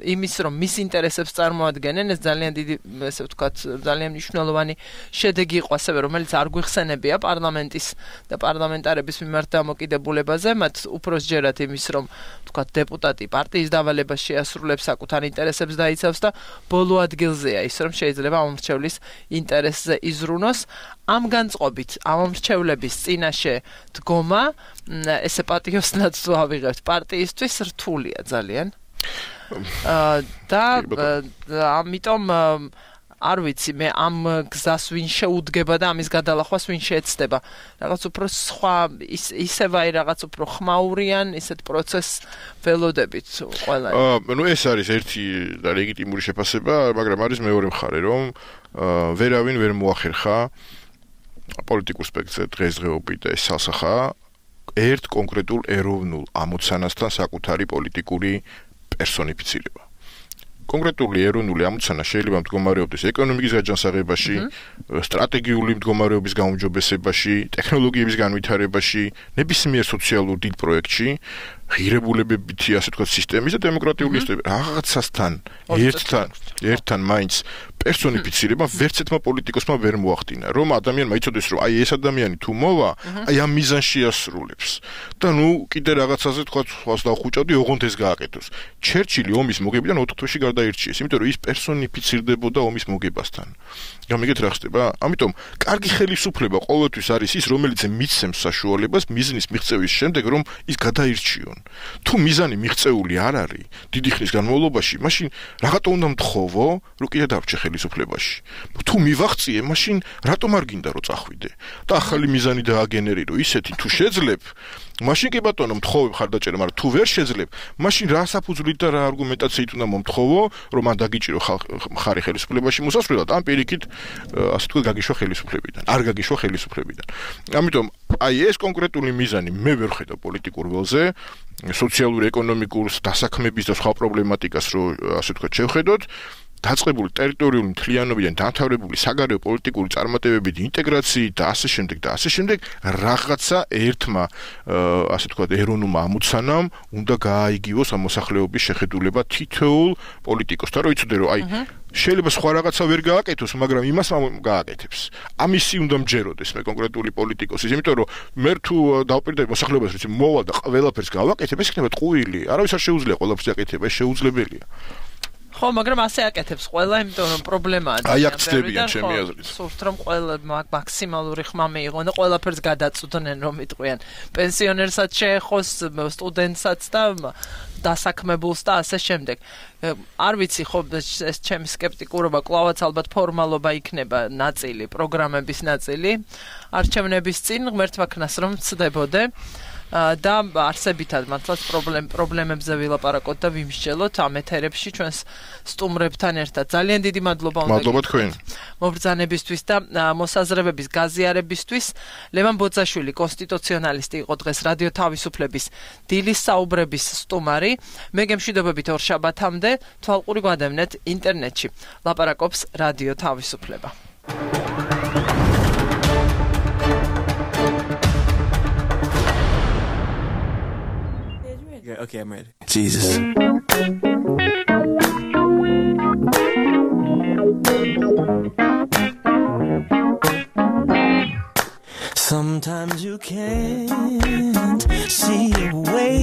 იმის რომ მის ინტერესებს წარმოადგენენ ეს ძალიან დიდი ესე ვთქვათ ძალიან მნიშვნელოვანი შედეგი იყო ასევე რომელიც არ გვიხსენებია პარლამენტის და პარლამენტარების მიმართ დამოკიდებულებაზე მათ უფროს ჯერათ იმის რომ ვთქვათ დეპუტატი პარტიის დავალებას შეასრულებს საკუთარ ინტერესებს დაიცავს და ბოლო ადგილზეა ის რომ შეიძლება ამომრჩევლის ინტერესზე იზრუნოს ამ განწყობით ამომრჩევლების წინაშე დგომა ესე პატიოსნად თუ ავიღებთ პარტიისთვის რთულია ძალიან და ამიტომ არ ვიცი მე ამ გზას ვინ შეუდგება და ამის გადალახვას ვინ შეეცდება რაღაც უფრო სხვა ისევ აი რაღაც უფრო ხმაურიან ისეთ პროცესს ველოდებით ყველა აა ნუ ეს არის ერთი და ლეგიტიმური შეფასება მაგრამ არის მეორე მხარე რომ ვერავინ ვერ მოახერხა პოლიტიკურ სპექტრზე დღესდღეობით და ეს სასახა ერთ კონკრეტულ ეროვნულ ამოცანასთან საკუთარი პოლიტიკური პერსონიფიცირება. კონკრეტული ეროვნული ამოცანა შეიძლება მდგომარეობდეს ეკონომიკის გაჯანსაღებაში, სტრატეგიული მდგომარეობის გაუმჯობესებაში, ტექნოლოგიების განვითარებაში, ნებისმიერ სოციალურ დიდ პროექტში, ღირებულებებითი ასე ვთქვათ სისტემის და დემოკრატიული რაღაცასთან ერთთან ერთთან მაინც პერსონიფიცირება ვერცერთმა პოლიტიკოსმა ვერ მოახდინა, რომ ადამიანმა იცოდეს, რომ აი ეს ადამიანი თუ მოვა, აი ამ მიზანში ასრულებს. და ნუ კიდე რაღაცაზე თქვა სხვას დავხუჭავდი, ოღონდ ეს გააკეთოს. ჩერჩილი ომის მოგებიდან ოთხ თვეში გარდაირჩიეს, იმიტომ რომ ის პერსონიფიცირდებოდა ომის მოგებასთან. გამიგეთ რა ხდება? ამიტომ კარგი ხელისუფლება ყოველთვის არის ის, რომელიც მიცემს საშუალებას მიზნის მიღწევის შემდეგ, რომ ის გადაირჩიონ. თუ მიზანი მიღწეული არ არის დიდი ხნის განმავლობაში, მაშინ რაღაცა უნდა მთხოვო, რომ კიდე დარჩე ხელისუფლებაში. თუ მივაღწიე, მაშინ რატომ არ გინდა რომ წახვიდე? და ახალი მიზანი დააგენერირო ისეთი თუ შეძლებ, მაშინ კი ბატონო მთხოვებ ხარდაჭერა, მაგრამ თუ ვერ შეძლებ, მაშინ რა საფუძვლით და რა არგუმენტაციით უნდა მომთხოვო, რომ მან დაგიჭირო ხარი ხელისუფლებაში მოსასვლელად, ან პირიქით, ასე თქვა გაგიშვა ხელისუფლებიდან, არ გაგიშვა ხელისუფლებიდან. ამიტომ აი ეს კონკრეტული მიზანი მე ვერ ხედავ პოლიტიკურ ველზე, სოციალური, ეკონომიკური დასაქმების და სხვა პრობლემატიკას რო ასე თქვა შევხედოთ, დაწყებული ტერიტორიული მთლიანობიდან დამთავრებული საგარეო პოლიტიკური წარმატებებით, ინტეგრაციით და ასე შემდეგ და ასე შემდეგ რაღაცა ერთმა ასე თქვა ეროვნულმა ამოცანამ უნდა გააიგივოს ამ მოსახლეობის შეხედულება თითოეულ პოლიტიკოსთან, რომ იცოდე რომ აი შეიძლება სხვა რაღაცა ვერ გააკეთოს, მაგრამ იმას გააკეთებს. ამისი უნდა მჯეროდეს მე კონკრეტული პოლიტიკოსის, იმიტომ რომ მე თუ დავპირდები მოსახლეობას, რომ მოვალ და ყველაფერს გავაკეთებ, ეს იქნება ტყუილი. არავის არ შეუძლია ყველაფერს აკეთება, ეს შეუძლებელია. ხო, მაგრამ ასე აკეთებს ყველა, იმიტომ რომ პრობლემაა. აი აქ ცდებიან ჩემი აზრით. სულთ რომ ყველა მაქსიმალური ხმა მიიღონ და ყველაფერს გადაწვდნენ რომ იტყვიან. პენსიონერსაც შეეხოს, სტუდენტსაც და დასაქმებულს და ასე შემდეგ. არ ვიცი ხო ეს ჩემი სკეპტიკურობა კლავაც ალბათ ფორმალობა იქნება ნაწილი, პროგრამების ნაწილი. არჩევნების წინ ღმერთმა ქნას რომ ცდებოდე. და არსებითად მართლაც პრობლემებზე ვილაპარაკოთ და ვიმსჯელოთ ამ ეთერებში ჩვენს სტუმრებთან ერთად. ძალიან დიდი მადლობა უნდა მადლობა თქვენ. მობრძანებისთვის და მოსაზრებების გაზიარებისთვის. ლევან ბოძაშვილი, კონსტიტუციონალისტი იყო დღეს რადიო თავისუფლების დილის საუბრების სტუმარი. მე გემშვიდობებით ორშაბათამდე თვალყური გვადევნეთ ინტერნეტში. ლაპარაკობს რადიო თავისუფლება. Okay, I'm ready. Jesus. Sometimes you can't see your way.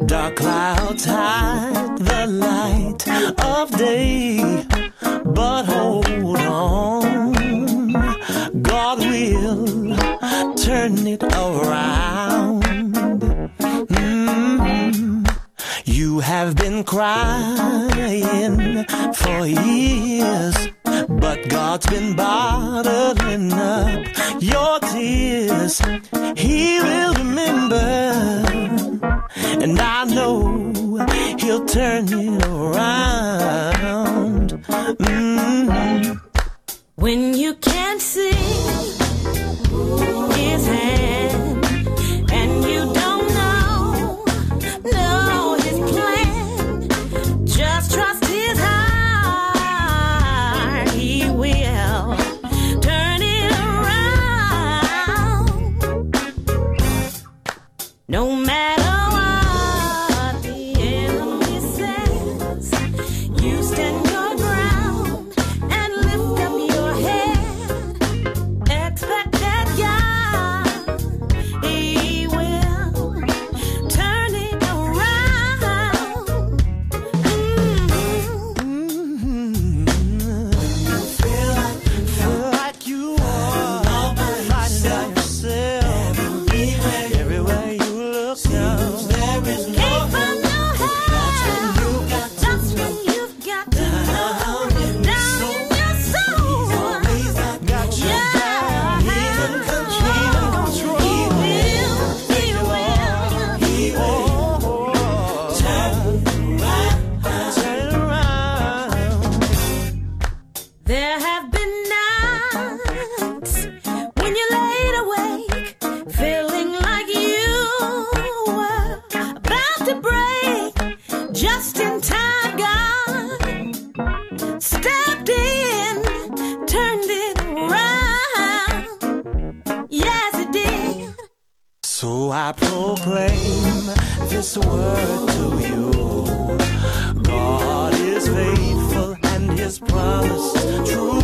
Dark clouds hide the light of day. But hold on, God will turn it around. You have been crying for years, but God's been bottling up your tears. He will remember, and I know He'll turn it around. Mm-hmm. When you can't see His hand, and you don't trust His heart, He will turn it around. No matter what the enemy says, you stand your ground and lift up your head. Expect that God, He will turn it around. I proclaim this word to you. God is faithful and His promise true.